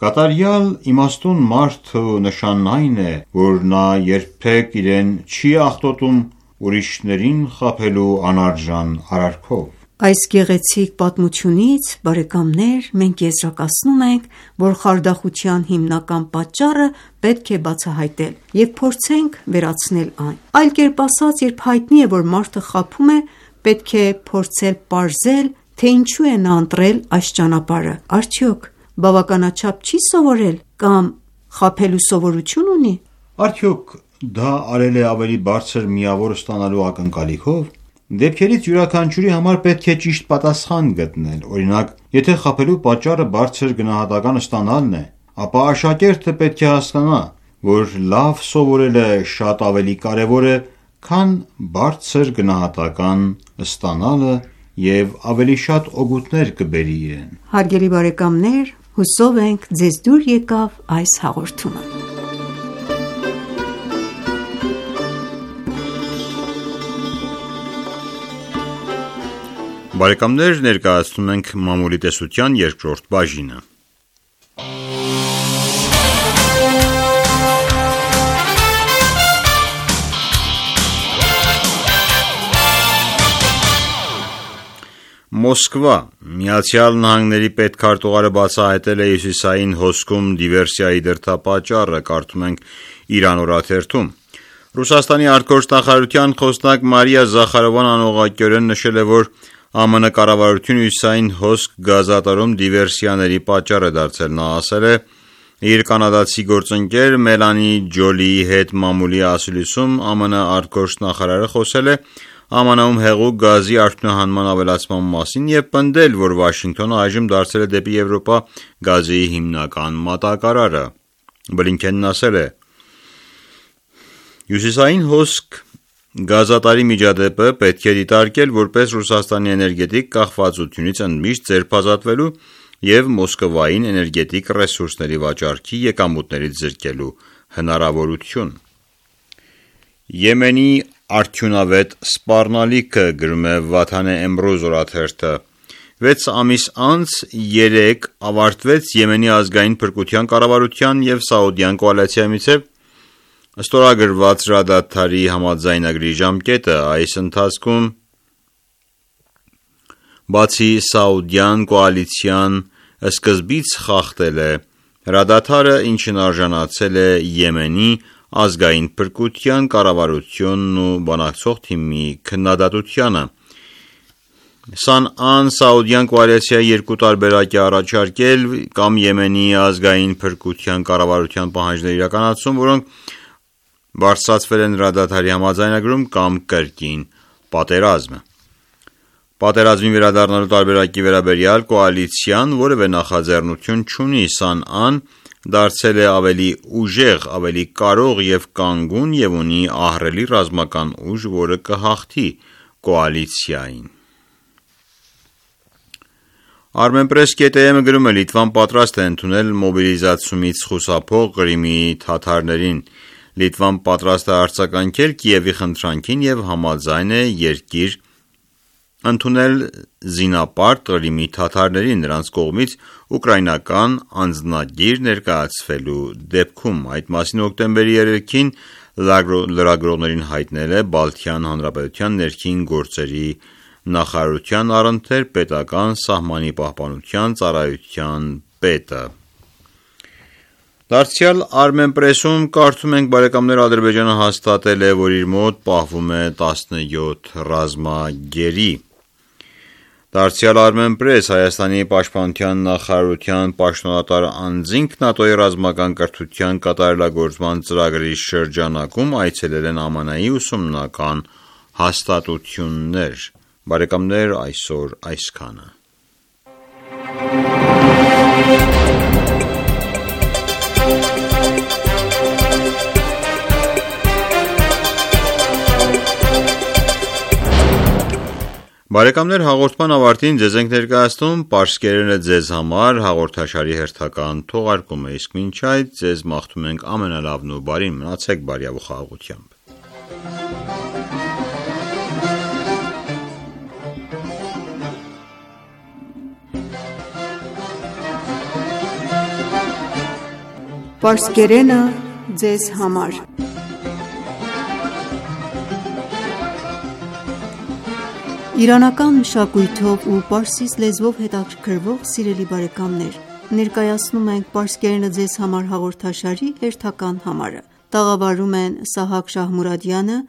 կատարյալ իմաստուն մարդու նշանն այն է, որ նա երբեք իրեն չի աղտոտում ուրիշներին խաբելու անարժան արարքով։ Այս գեղեցիկ պատմությունից, բարեկամներ, մենք եզրակացնում ենք, որ խարդախության հիմնական պատճառը պետք է բացահայտել և փորձենք վերացնել այն։ Այլ կերպ ասած, երբ հայտնի է, որ մարդը խաբում է, պետք է փորձել պարզել, թե ինչու է նա ընտրել այս ճանապարհը։ Արդյոք բավականաչափ չի սովորել կամ խաբելու սովորություն ունի։ Արդյոք դա արել է ավելի բարձր միավոր ստանալու ակնկալիքով։ Դեպքերից յուրաքանչյուրի համար պետք է ճիշտ պատասխան գտնել։ Օրինակ, եթե խաբելու պատճառը բարձր գնահատական ստանալն է, ապա աշակերտը պետք է հասկանա, որ լավ սովորելը շատ ավելի կարևոր է, քան բարձր գնահատական ստանալը և ավելի շատ օգուտներ կբերի իրեն։ Հարգելի բարեկամներ, հուսով ենք ձեզ դուր եկավ այս հաղորդումը։ Բարեկամներ, ներկայացնում ենք մամուլի տեսության երկրորդ բաժինը։ Մոսկվա, Միացյալ Նահանգների պետքարտուղարը բացահայտել է հյուսիսային հոսքում դիվերսիայի դրդապատճառը, կարդում ենք Իրան օրաթերթում։ Ռուսաստանի արտգործնախարարության խոսնակ Մարիա Զախարովան անուղղակիորեն նշել է, որ ԱՄՆ կառավարությունը հյուսիսային հոսք գազատարում դիվերսիաների պատճառ է դարձել։ Նա ասել է իր կանադացի գործընկեր Մելանի Ջոլիի հետ մամուլի ասուլիսում ԱՄՆ արտգործնախարարը խոսել է ԱՄՆ-ում հեղուկ գազի արդյունահանման ավելացման մասին և պնդել, որ Վաշինգտոնը այժմ դարձել է դեպի Եվրոպա գազի հիմնական մատակարարը։ Բլինքենն ասել է. Հյուսիսային հոսք գազատարի միջադեպը պետք է դիտարկել որպես Ռուսաստանի էներգետիկ կախվածությունից ընդմիշտ ձերբազատվելու և Մոսկվային էներգետիկ ռեսուրսների վաճառքի եկամուտներից զրկելու հնարավորություն։ Եմենի արդյունավետ սպառնալիքը, գրում է Վաթանե Էմրոզ օրաթերթը, 6 ամիս անց 3 ավարտվեց Եմենի ազգային փրկության կառավարության և Սաուդյան կոալիցիայի միջև ստորագրված հրադադարի համաձայնագրի ժամկետը։ Այս ընթացքում բացի Սաուդյան կոալիցիան սկզբից խախտել է հրադադարը, ինչն արժանացել է Եմենի ազգային փրկության կառավարությունն ու բանակցող թիմի քննադատությանը։ Սանան Սաուդյան կոալիցիայի 2 տարբերակ է առաջարկել կամ Եմենի ազգային փրկության կառավարության պահանջների իրականացում, որոնք բարձրացվել են հրադադարի համաձայնագրում, կամ կրկին պատերազմը։ Պատերազմի վերադառնալու տարբերակի վերաբերյալ կոալիցիան որևէ նախաձեռնություն չունի, Սանան դարձել է ավելի ուժեղ, ավելի կարող եւ կանգուն եւ ունի ահռելի ռազմական ուժ, որը կհաղթի կոալիցիային։ Armenpress.am-ը գրում է. Լիտվան պատրաստ է ընդունել մոբիլիզացումից խուսափող Կրիմի թաթարներին։ Լիտվան պատրաստ է արձագանքել Կիևի խնդրանքին եւ համաձայն է երկիր ընդունել զինապարտ Կրիմի թաթարներին նրանց կողմից ուկրաինական անձնագիր ներկայացվելու դեպքում։ Այդ մասին հոկտեմբերի 3-ին լրագրողներին հայտնել է Բալթյան Հանրապետության ներքին գործերի նախարարության առընթեր պետական սահմանի պահպանության ծառայության պետը։ Դարձյալ Armenpress-ում կարդում ենք, բարեկամներ, Ադրբեջանը հաստատել է, որ իր մոտ պահվում է 17 ռազմագերի։ Դարձյալ Armenpress Հայաստանի պաշտպանության նախարարության պաշտոնատար անձինք ՆԱՏՕ-ի ռազմական կրթության կատարելագործման ծրագրի շրջանակում այցելել են ԱՄՆ-ի ուսումնական հաստատություններ։ Բարեկամներ, այսօր այսքանը։ Բարեկամներ, հաղորդման ավարտին ձեզ ենք ներկայացնում Պարսկերենը ձեզ համար հաղորդաշարի հերթական թողարկումը, իսկ մինչ այդ ձեզ մաղթում ենք ամենալավն ու բարին, մնացեք բարյավ ու խաղաղությամբ։ Պարսկերենը ձեզ համար Իրանական մշակույթով ու պարսից լեզվով հետաքրքրվող սիրելի բարեկամներ, ներկայացնում ենք Պարսկերենը ձեզ համար հաղորդաշարի հերթական համարը։ Տաղավարում են Սահակ Շահմուրադյանը,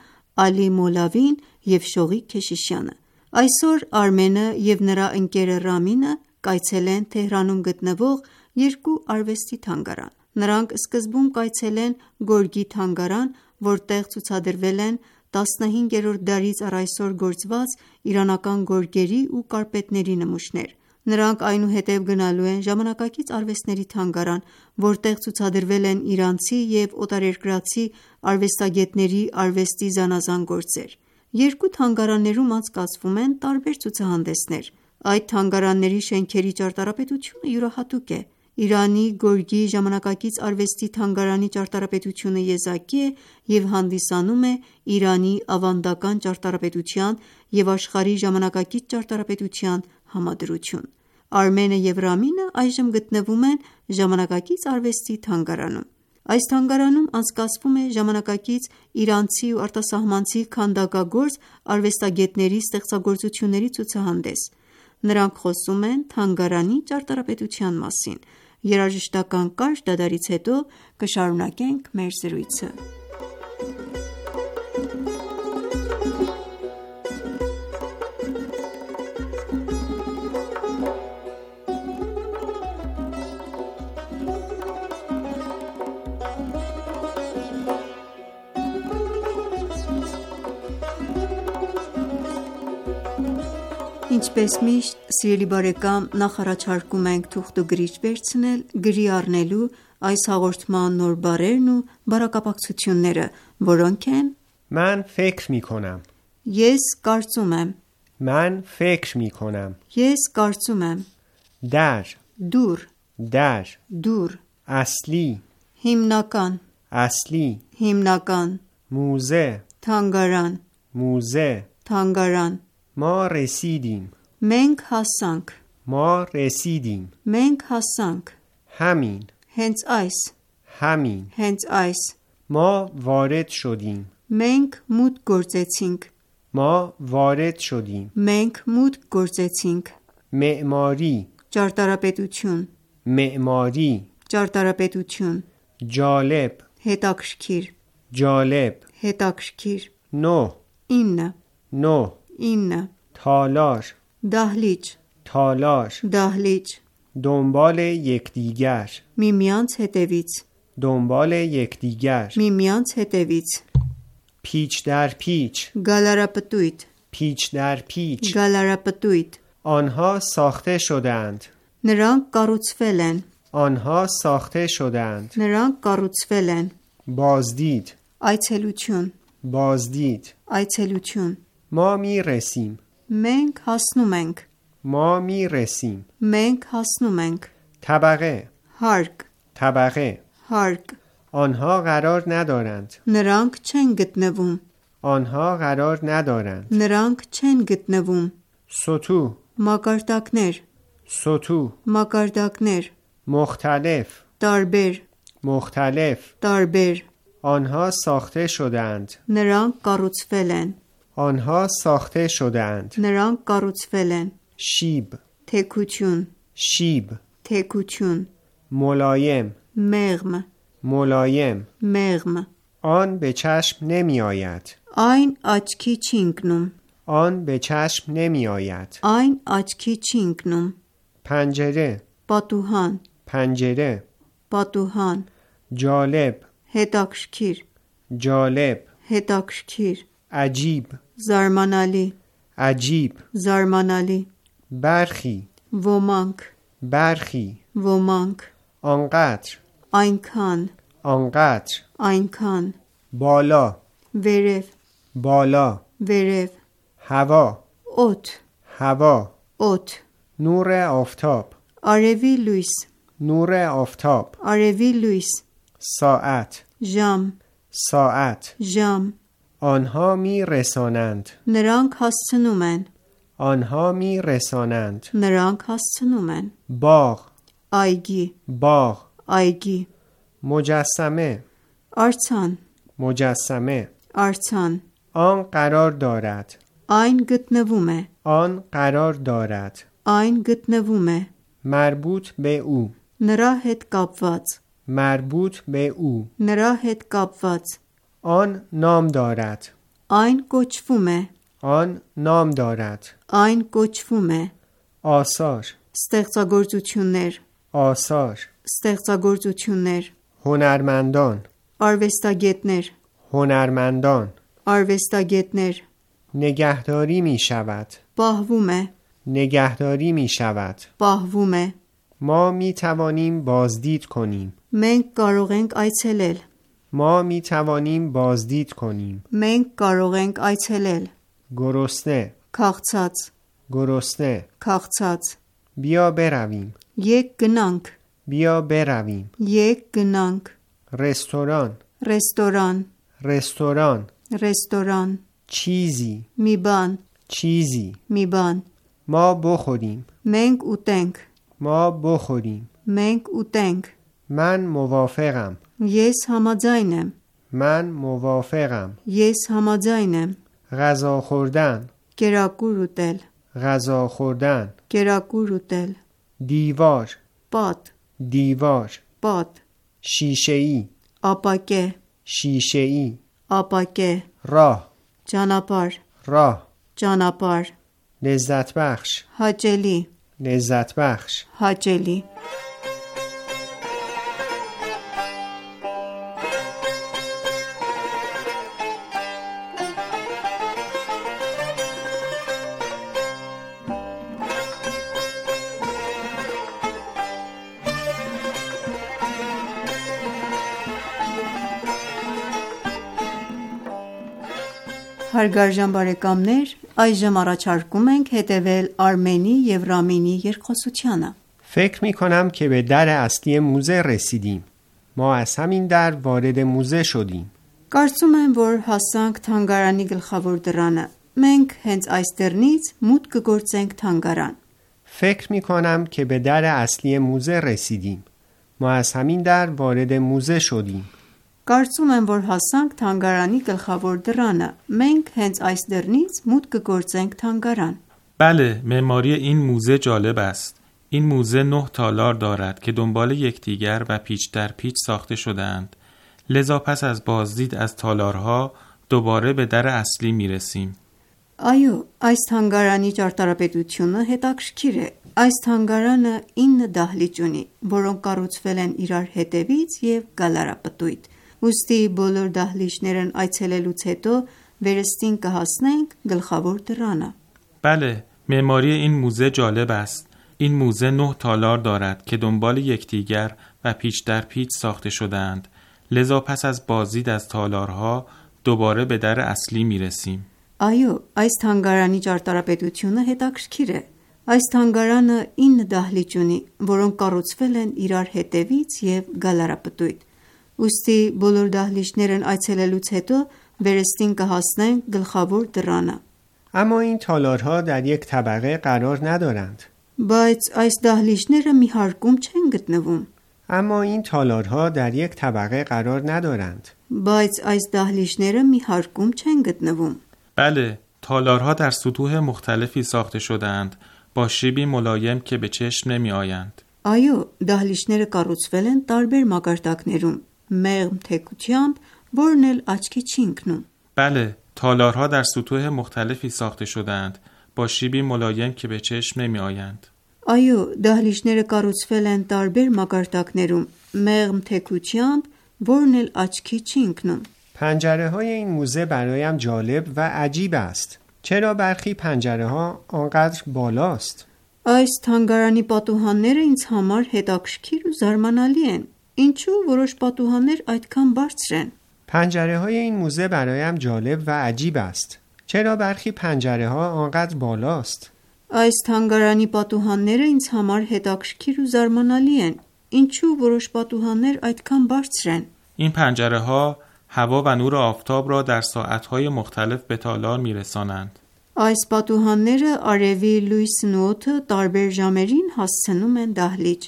Ալի Մոլավին և Շողիկ Քեշիշյանը։ Այսօր Արմենը և նրա ընկերը Ռամինը կայցելեն Թեհրանում գտնվող երկու արվեստի թանգարան։ Նրանք սկզբում կայցելեն Գորգի թանգարան, որտեղ ցուցադրվել են 15-րդ դարից առ այսօր գործված իրանական գորգերի ու կարպետների նմուշներ։ Նրանք այնուհետև գնալու են Ժամանակակից արվեստների թանգարան, որտեղ ցուցադրվել են իրանցի և օտարերկրացի արվեստագետների արվեստի զանազան գործեր։ Երկու թանգարաններում անցկացվում են տարբեր ցուցահանդեսներ։ Այդ թանգարանների շենքերի ճարտարապետությունը յուրահատուկ է։ Իրանի գորգի ժամանակակից արվեստի թանգարանի ճարտարապետությունը եզակի է և հանդիսանում է Իրանի ավանդական ճարտարապետության և աշխարհի ժամանակակից ճարտարապետության համադրություն։ Արմենը և Ռամինը այժմ գտնվում են ժամանակակից արվեստի թանգարանում։ Այս թանգարանում անցկացվում է ժամանակակից իրանցի ու արտասահմանցի քանդակագործ արվեստագետների ստեղծագործությունների ցուցահանդես։ Նրանք խոսում են թանգարանի ճարտարապետության մասին։ Երաժշտական կարճ դադարից հետո կշարունակենք մեր զրույցը։ Ինչպես միշտ, սիրելի բարեկամ, նախ առաջարկում ենք թուղթ ու գրիչ վերցնել գրի առնելու այս հաղորդման նոր բառերն ու բառակապակցությունները, որոնք են. من فکر می کنم. Ես կարծում եմ. من فکر می کنم. Ես կարծում եմ. در. Դուր. در. Դուր. اصلی. Հիմնական. اصلی. Հիմնական. موزه. Թանգարան. موزه. Թանգարան. ما رسیدیم. Մենք հասանք. ما رسیدیم. Մենք հասանք. همین. Հենց այս. همین. Հենց այս. ما وارد شدیم. Մենք մուտք գործեցինք. ما وارد شدیم. Մենք մուտք գործեցինք. معماری. Ճարտարապետություն. معماری. Ճարտարապետություն. جالب. Հետաքրքիր. جالب. Հետաքրքիր. 9. 9. 9. 9. تالار. Դահլիճ. تالار. Դահլիճ. دنبال یکدیگر. Միմյանց հետևից. دنبال یکدیگر. Միմյանց հետևից. پیچ در پیچ. Գալարապտույտ. پیچ در پیچ. Գալարապտույտ. آنها ساخته شدند. Նրանք կառուցվել են. آنها ساخته شدند. Նրանք կառուցվել են. بازدید. Այցելություն. بازدید. Այցելություն. ما می رسیم. Մենք հասնում ենք. ما می رسیم. Մենք հասնում ենք. طبقه. Հարկ. طبقه. Հարկ. آنها قرار ندارند. Նրանք չեն գտնվում. آنها قرار ندارند. Նրանք չեն գտնվում. سطوح. Մակարդակներ. سطوح. Մակարդակներ. مختلف. Տարբեր. مختلف. Տարբեր. آنها ساخته شدند. Նրանք կառուցվել են. آنها ساخته شدند. Նրանք կառուցվել են. شیب. Թեքություն. شیب. Թեքություն. ملایم. Մեղմ. ملایم. Մեղմ. آن به چشم نمی آید. Այն աչքի չի ընկնում. آن به چشم نمی آید. Այն աչքի չի ընկնում. پنجره. Պատուհան. پنجره. Պատուհան. جالب. Հետաքրքիր. جالب. Հետաքրքիր. عجیب. Զարմանալի. عجیب. Զարմանալի. برخی. Ոմանք. برخی. Ոմանք. آنقدر. Այնքան. آنقدر. Այնքան. بالا. Վերև. بالا. Վերև. هوا. Օդ. هوا. Օդ. نور آفتاب. Արևի լույս. نور آفتاب. Արևի լույս. ساعت. Ժամ. ساعت. Ժամ. آنها می رسانند. Նրանք հասցնում են. آنها می رسانند. Նրանք հասցնում են. باغ. Այգի. باغ. Այգի. مجسمه. Արձան. مجسمه. Արձան. آن قرار دارد. Այն գտնվում է. آن قرار دارد. Այն գտնվում է. مربوط به او. Նրա հետ կապված. مربوط به او. Նրա հետ կապված. آن نام دارد. Այն կոչվում է. آن نام دارد. Այն կոչվում է. آثار. Ստեղծագործություններ. آثار. Ստեղծագործություններ. هنرمندان. Արվեստագետներ. هنرمندان. Արվեստագետներ. نگهداری می شود. Պահվում է. نگهداری می شود. Պահվում է. ما می توانیم بازدید کنیم. Մենք կարող ենք այցելել. ما می توانیم بازدید کنیم. Մենք կարող ենք այցելել. گرسنه. Քաղցած. گرسنه. Քաղցած. بیا برویم. Եկ գնանք. بیا برویم. Եկ گնանք. رستوران. Ռեստորան. رستوران. Ռեստորան. چیزی. Մի բան. چیزی. Մի բան. ما بخوریم. Մենք ուտենք. ما بخوریم. Մենք ուտենք. من موافقم. Ես համաձայն եմ. من موافقم. Ես համաձայն եմ. غذا خوردن. Կերակուր ուտել. غذا خوردن. Կերակուր ուտել. دیوار. Պատ. دیوار. Պատ. شیشه‌ای. Ապակե. شیشه‌ای. Ապակե. راه. Ճանապարհ. راه. Ճանապարհ. لذت بخش. Հաճելի. لذت بخش. Հաճելի. Հարգարժան բարեկամներ, այժմ առաջարկում ենք հետևել Արմենի և Ռամինի երկխոսությանը։ فکر می کنم که به در اصلی موزه رسیدیم. ما از همین در وارد موزه شدیم. Կարծում եմ, որ հասանք թանգարանի գլխավոր դռանը։ Մենք հենց այս դռնից մուտք կգործենք թանգարան։ فکر می کنم که به در اصلی موزه رسیدیم. ما از همین در وارد موزه شدیم. Կարծում եմ, որ հասանք թանգարանի գլխավոր դռանը։ Մենք հենց այս դռնից մուտք կգործենք թանգարան։ بله، معماری این موزه جالب است. این موزه 9 تالار دارد که دنبال یکدیگر و پیچ در پیچ ساخته شده‌اند. لذا پس از بازدید از تالارها دوباره به در اصلی می‌رسیم. Այո, այս թանգարանի ճարտարապետությունը հետաքրքիր է։ Այս թանգարանը 9 դահլիճ ունի, որոնք կառուցվել են իրար հետևից եւ գալարապտույտ։ Ուստի բոլոր դահլիճներն այցելելուց հետո վերստին կհասնենք գլխավոր դռանը։ بله، معماری این موزه جالب است. این موزه 9 تالار دارد که دنبال یکدیگر و پیچ در پیچ ساخته شده‌اند. لذا پس از بازدید از تالارها دوباره به در اصلی میرسیم. Այո, այս թանգարանի ճարտարապետությունը հետաքրքիր է։ Այս թանգարանը 9 դահլիճ ունի, որոնք կառուցվել են իրար հետևից եւ գալարապտույտ։ Ուստի բոլոր դահլիճներն այցելելուց հետո վերստին կհասնենք գլխավոր դռանը։ اما این تالارها در یک طبقه قرار ندارند. Բայց այս դահլիճները մի հարկում չեն գտնվում։ اما این تالارها در یک طبقه قرار ندارند. Բայց այս դահլիճները մի հարկում չեն գտնվում։ بله، تالارها در سطوح مختلفی ساخته شده‌اند با شیبی ملایم که به چشم نمی‌آیند. Այո, դահլիճները կառուցվել են տարբեր մակարդակներում, մեղմ թեքությամբ, որն էլ աչքի չի ընկնում։ بله، تالارها در سطوح مختلفی ساخته شده‌اند با شیبی ملایم که به چشم نمی‌آیند. Այո, դահլիճները կառուցվել են տարբեր մակարդակներում, մեղմ թեքությամբ, որն էլ աչքի չի ընկնում։ پنجره های این موزه برایم جالب و عجیب است. چرا برخی پنجره ها آنقدر بالاست؟ Այս թանգարանի պատուհանները ինձ համար հետաքրքիր ու զարմանալի են։ Ինչու որոշ պատուհաններ այդքան բարձր են։ پنجره های این موزه برایم جالب و عجیب است. چرا برخی پنجره ها آنقدر بالاست؟ Այս թանգարանի պատուհանները ինձ համար հետաքրքիր ու զարմանալի են։ Ինչու որոշ պատուհաններ այդքան բարձր են։ این پنجره‌ها هوا و نور آفتاب را در ساعت‌های مختلف به تالار می‌رسانند. Այս պատուհանները արևի լույսն ու օդը տարբեր ժամերին հասցնում են դահլիճ։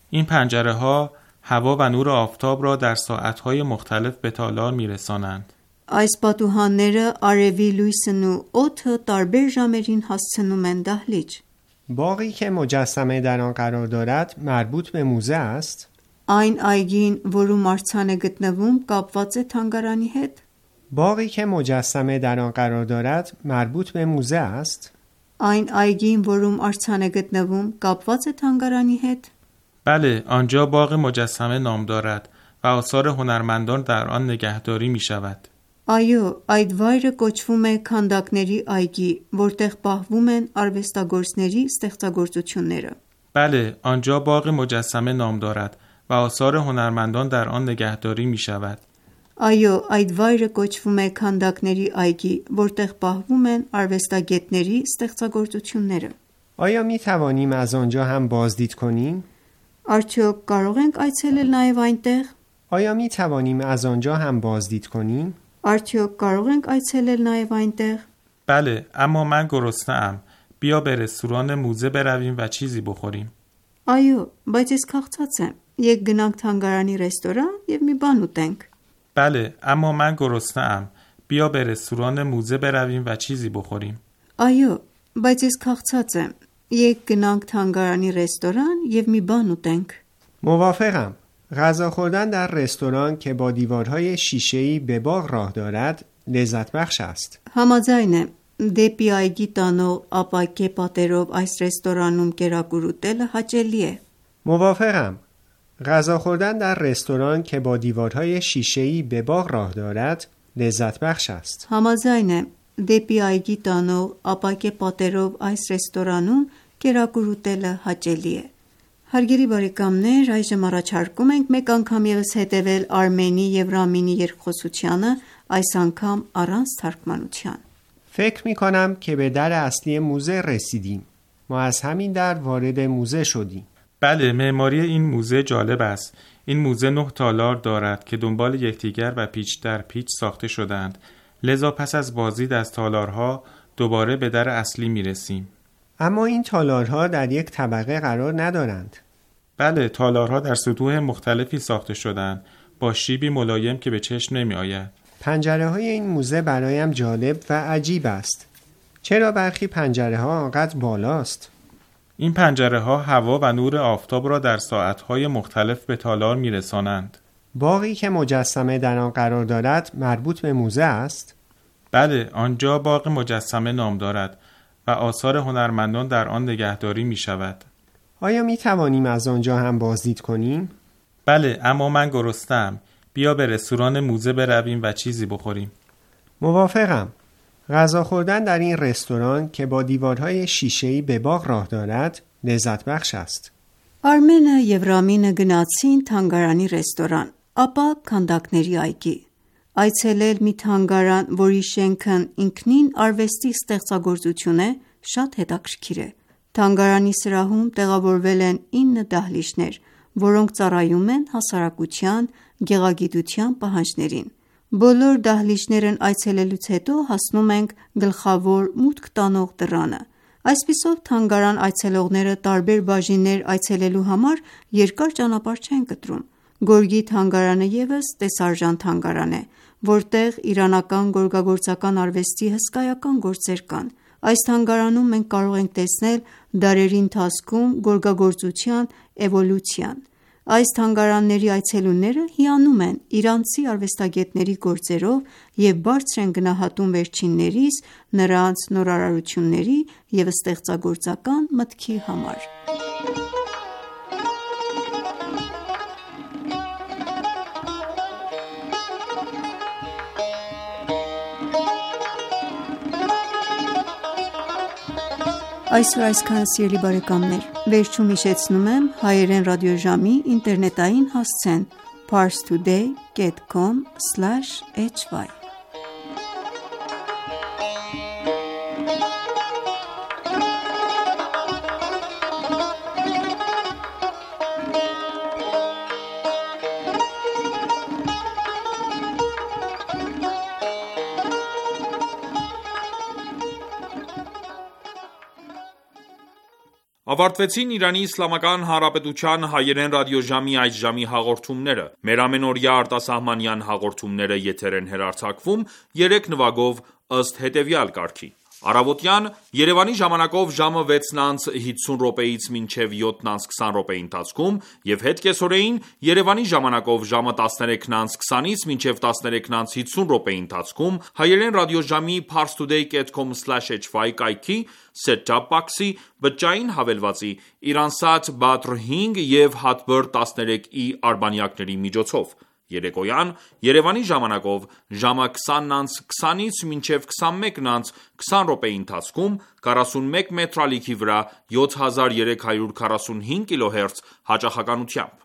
این پنجره‌ها هوا و نور آفتاب را در ساعت‌های مختلف به تالار می‌رسانند. Այս պատուհանները արևի լույսն ու օդը տարբեր ժամերին հասցնում են դահլիճ։ باغی که مجسمه در آن قرار دارد مربوط به موزه است؟ Այն այգին, որում արձան է գտնվում, կապված է թանգարանի հետ։ باغی که مجسمه در آن قرار دارد مربوط به موزه است؟ Այն այգին, որում արձան է գտնվում, կապված է թանգարանի հետ։ بله، آنجا باغ مجسمه نام دارد و آثار هنرمندان در آن نگهداری می‌شود. Այո, այդ վայրը կոչվում է քանդակների այգի, որտեղ պահվում են արվեստագործների ստեղծագործությունները։ بله، آنجا باغ مجسمه نام دارد و آثار هنرمندان در آن نگهداری می‌شود. Այո, այդ վայրը կոչվում է քանդակների այգի, որտեղ պահվում են արվեստագետների ստեղծագործությունները։ آیا می توانیم از آنجا هم بازدید کنیم؟ Արդյոք կարող ենք այցելել նաև այնտեղ։ آیا می توانیم از آنجا هم بازدید کنیم؟ Արդյոք կարող ենք այցելել նաև այնտեղ։ بله، اما من گرسنه‌ام. بیا به رستوران موزه برویم و چیزی بخوریم. Այո, բայց ես քաղցած եմ։ Եկ գնանք թանգարանի ռեստորան եւ մի բան ուտենք։ بله، اما من گرسنه‌ام. بیا به رستوران موزه برویم و چیزی بخوریم. Այո, բայց ես քաղցած եմ։ Եկ գնանք թանգարանի ռեստորան եւ մի բան ուտենք։ موافقم. غذا خوردن در رستوران که با دیوارهای شیشه‌ای به باغ راه دارد لذت بخش است. Համաձայն եմ։ Դեպի այգի տանող ապակե պատերով այս ռեստորանում կերակուր ուտելը հաճելի է։ موافقم. غذا خوردن در رستوران که با دیوارهای شیشه‌ای به باغ راه دارد لذت بخش است. Համաձայն եմ։ Դեպի այգի տանող ապակե պատերով այս ռեստորանում կերակուր ուտելը հաճելի է։ Հարգելի բարեկամներ, այժմ առաջարկում ենք մեկ անգամ ևս հետևել Արմենի եւ Ռամինի երկխոսությանը, այս անգամ առանց թարգմանության։ فکر می کنم که به در اصلی موزه رسیدیم. ما از همین در وارد موزه شدیم. بله، معماری این موزه جالب است. این موزه 9 تالار دارد که دنبال یکدیگر و پیچ در پیچ ساخته شدند. لذا پس از بازدید از تالارها دوباره به در اصلی میرسیم. اما این تالارها در یک طبقه قرار ندارند. بله، تالارها در سطوح مختلفی ساخته شدند با شیبی ملایم که به چشم نمی آید. پنجره های این موزه برایم جالب و عجیب است. چرا برخی پنجره ها آنقدر بالاست؟ این پنجره ها هوا و نور آفتاب را در ساعتهای مختلف به تالار می رسانند. باغی که مجسمه در آن قرار دارد مربوط به موزه است؟ بله، آنجا باغ مجسمه نام دارد و آثار هنرمندان در آن نگهداری می شود. آیا می توانیم از آنجا هم بازدید کنیم؟ بله، اما من گرسنه‌ام. بیا به رستوران موزه برویم و چیزی بخوریم. موافقم. غذا خوردن در این رستوران که با دیوارهای شیشه‌ای به باغ راه دارد لذت بخش است. Արմենը եւ Ռամինը գնացին թանգարանի ռեստորան, ապա քանդակների այգի։ Այցելել մի թանգարան, որի շենքն ինքնին արվեստի ստեղծագործություն է, շատ հետաքրքիր է։ Թանգարանի սրահում տեղավորվել են 9 դահլիճներ, որոնք ծառայում են հասարակության գեղագիտության պահանջներին։ Բոլոր դահլիճներն այցելելուց հետո հասնում ենք գլխավոր մուտք տանող դռանը։ Այսպիսով թանգարան այցելողները տարբեր բաժիններ այցելելու համար երկար ճանապարհ չեն կտրում։ Գորգի թանգարանը ևս տեսարժան թանգարան է, որտեղ իրանական գորգագործական արվեստի հսկայական գործեր կան։ Այս թանգարանում մենք կարող ենք տեսնել դարերի ընթացքում գորգագործության էվոլյուցիան։ Այս թանգարանների այցելուները հիանում են իրանցի արվեստագետների գործերով և բարձր են գնահատում վերջիններիս նրանց նորարարությունների և ստեղծագործական մտքի համար։ Այսօր այսքանը սիրելի բարեկամներ, վերջում հիշեցնում եմ հայերեն ռադիոժամի ինտերնետային հասցեն parstoday.com/hy Ավարտվեցին Իրանի Իսլամական Հանրապետության հայերեն ռադիոժամի այս ժամի հաղորդումները։ Մեր ամենօրյա արտասահմանյան հաղորդումները եթեր են հեռարձակվում 3 նվագով ըստ հետևյալ կարգի։ Առավոտյան Երևանի ժամանակով ժամը 6:50-ից մինչև 7:20 ընթացքում եւ հետ կեսօրեին Երևանի ժամանակով ժամը 13:20-ից մինչև 13:50 ընթացքում հայերեն ռադիոժամի parstoday.com/hy կայքի set-top box-ի բջջային հավելվածի Iransat Badr 5 եւ Hatbird 13i արբանյակների միջոցով։ Երեկոյան Երևանի ժամանակով ժամը 20:20-ից մինչև 21:20 ընթացքում 41 մետրալիքի վրա 7345 կիլոհերց հաճախականությամբ։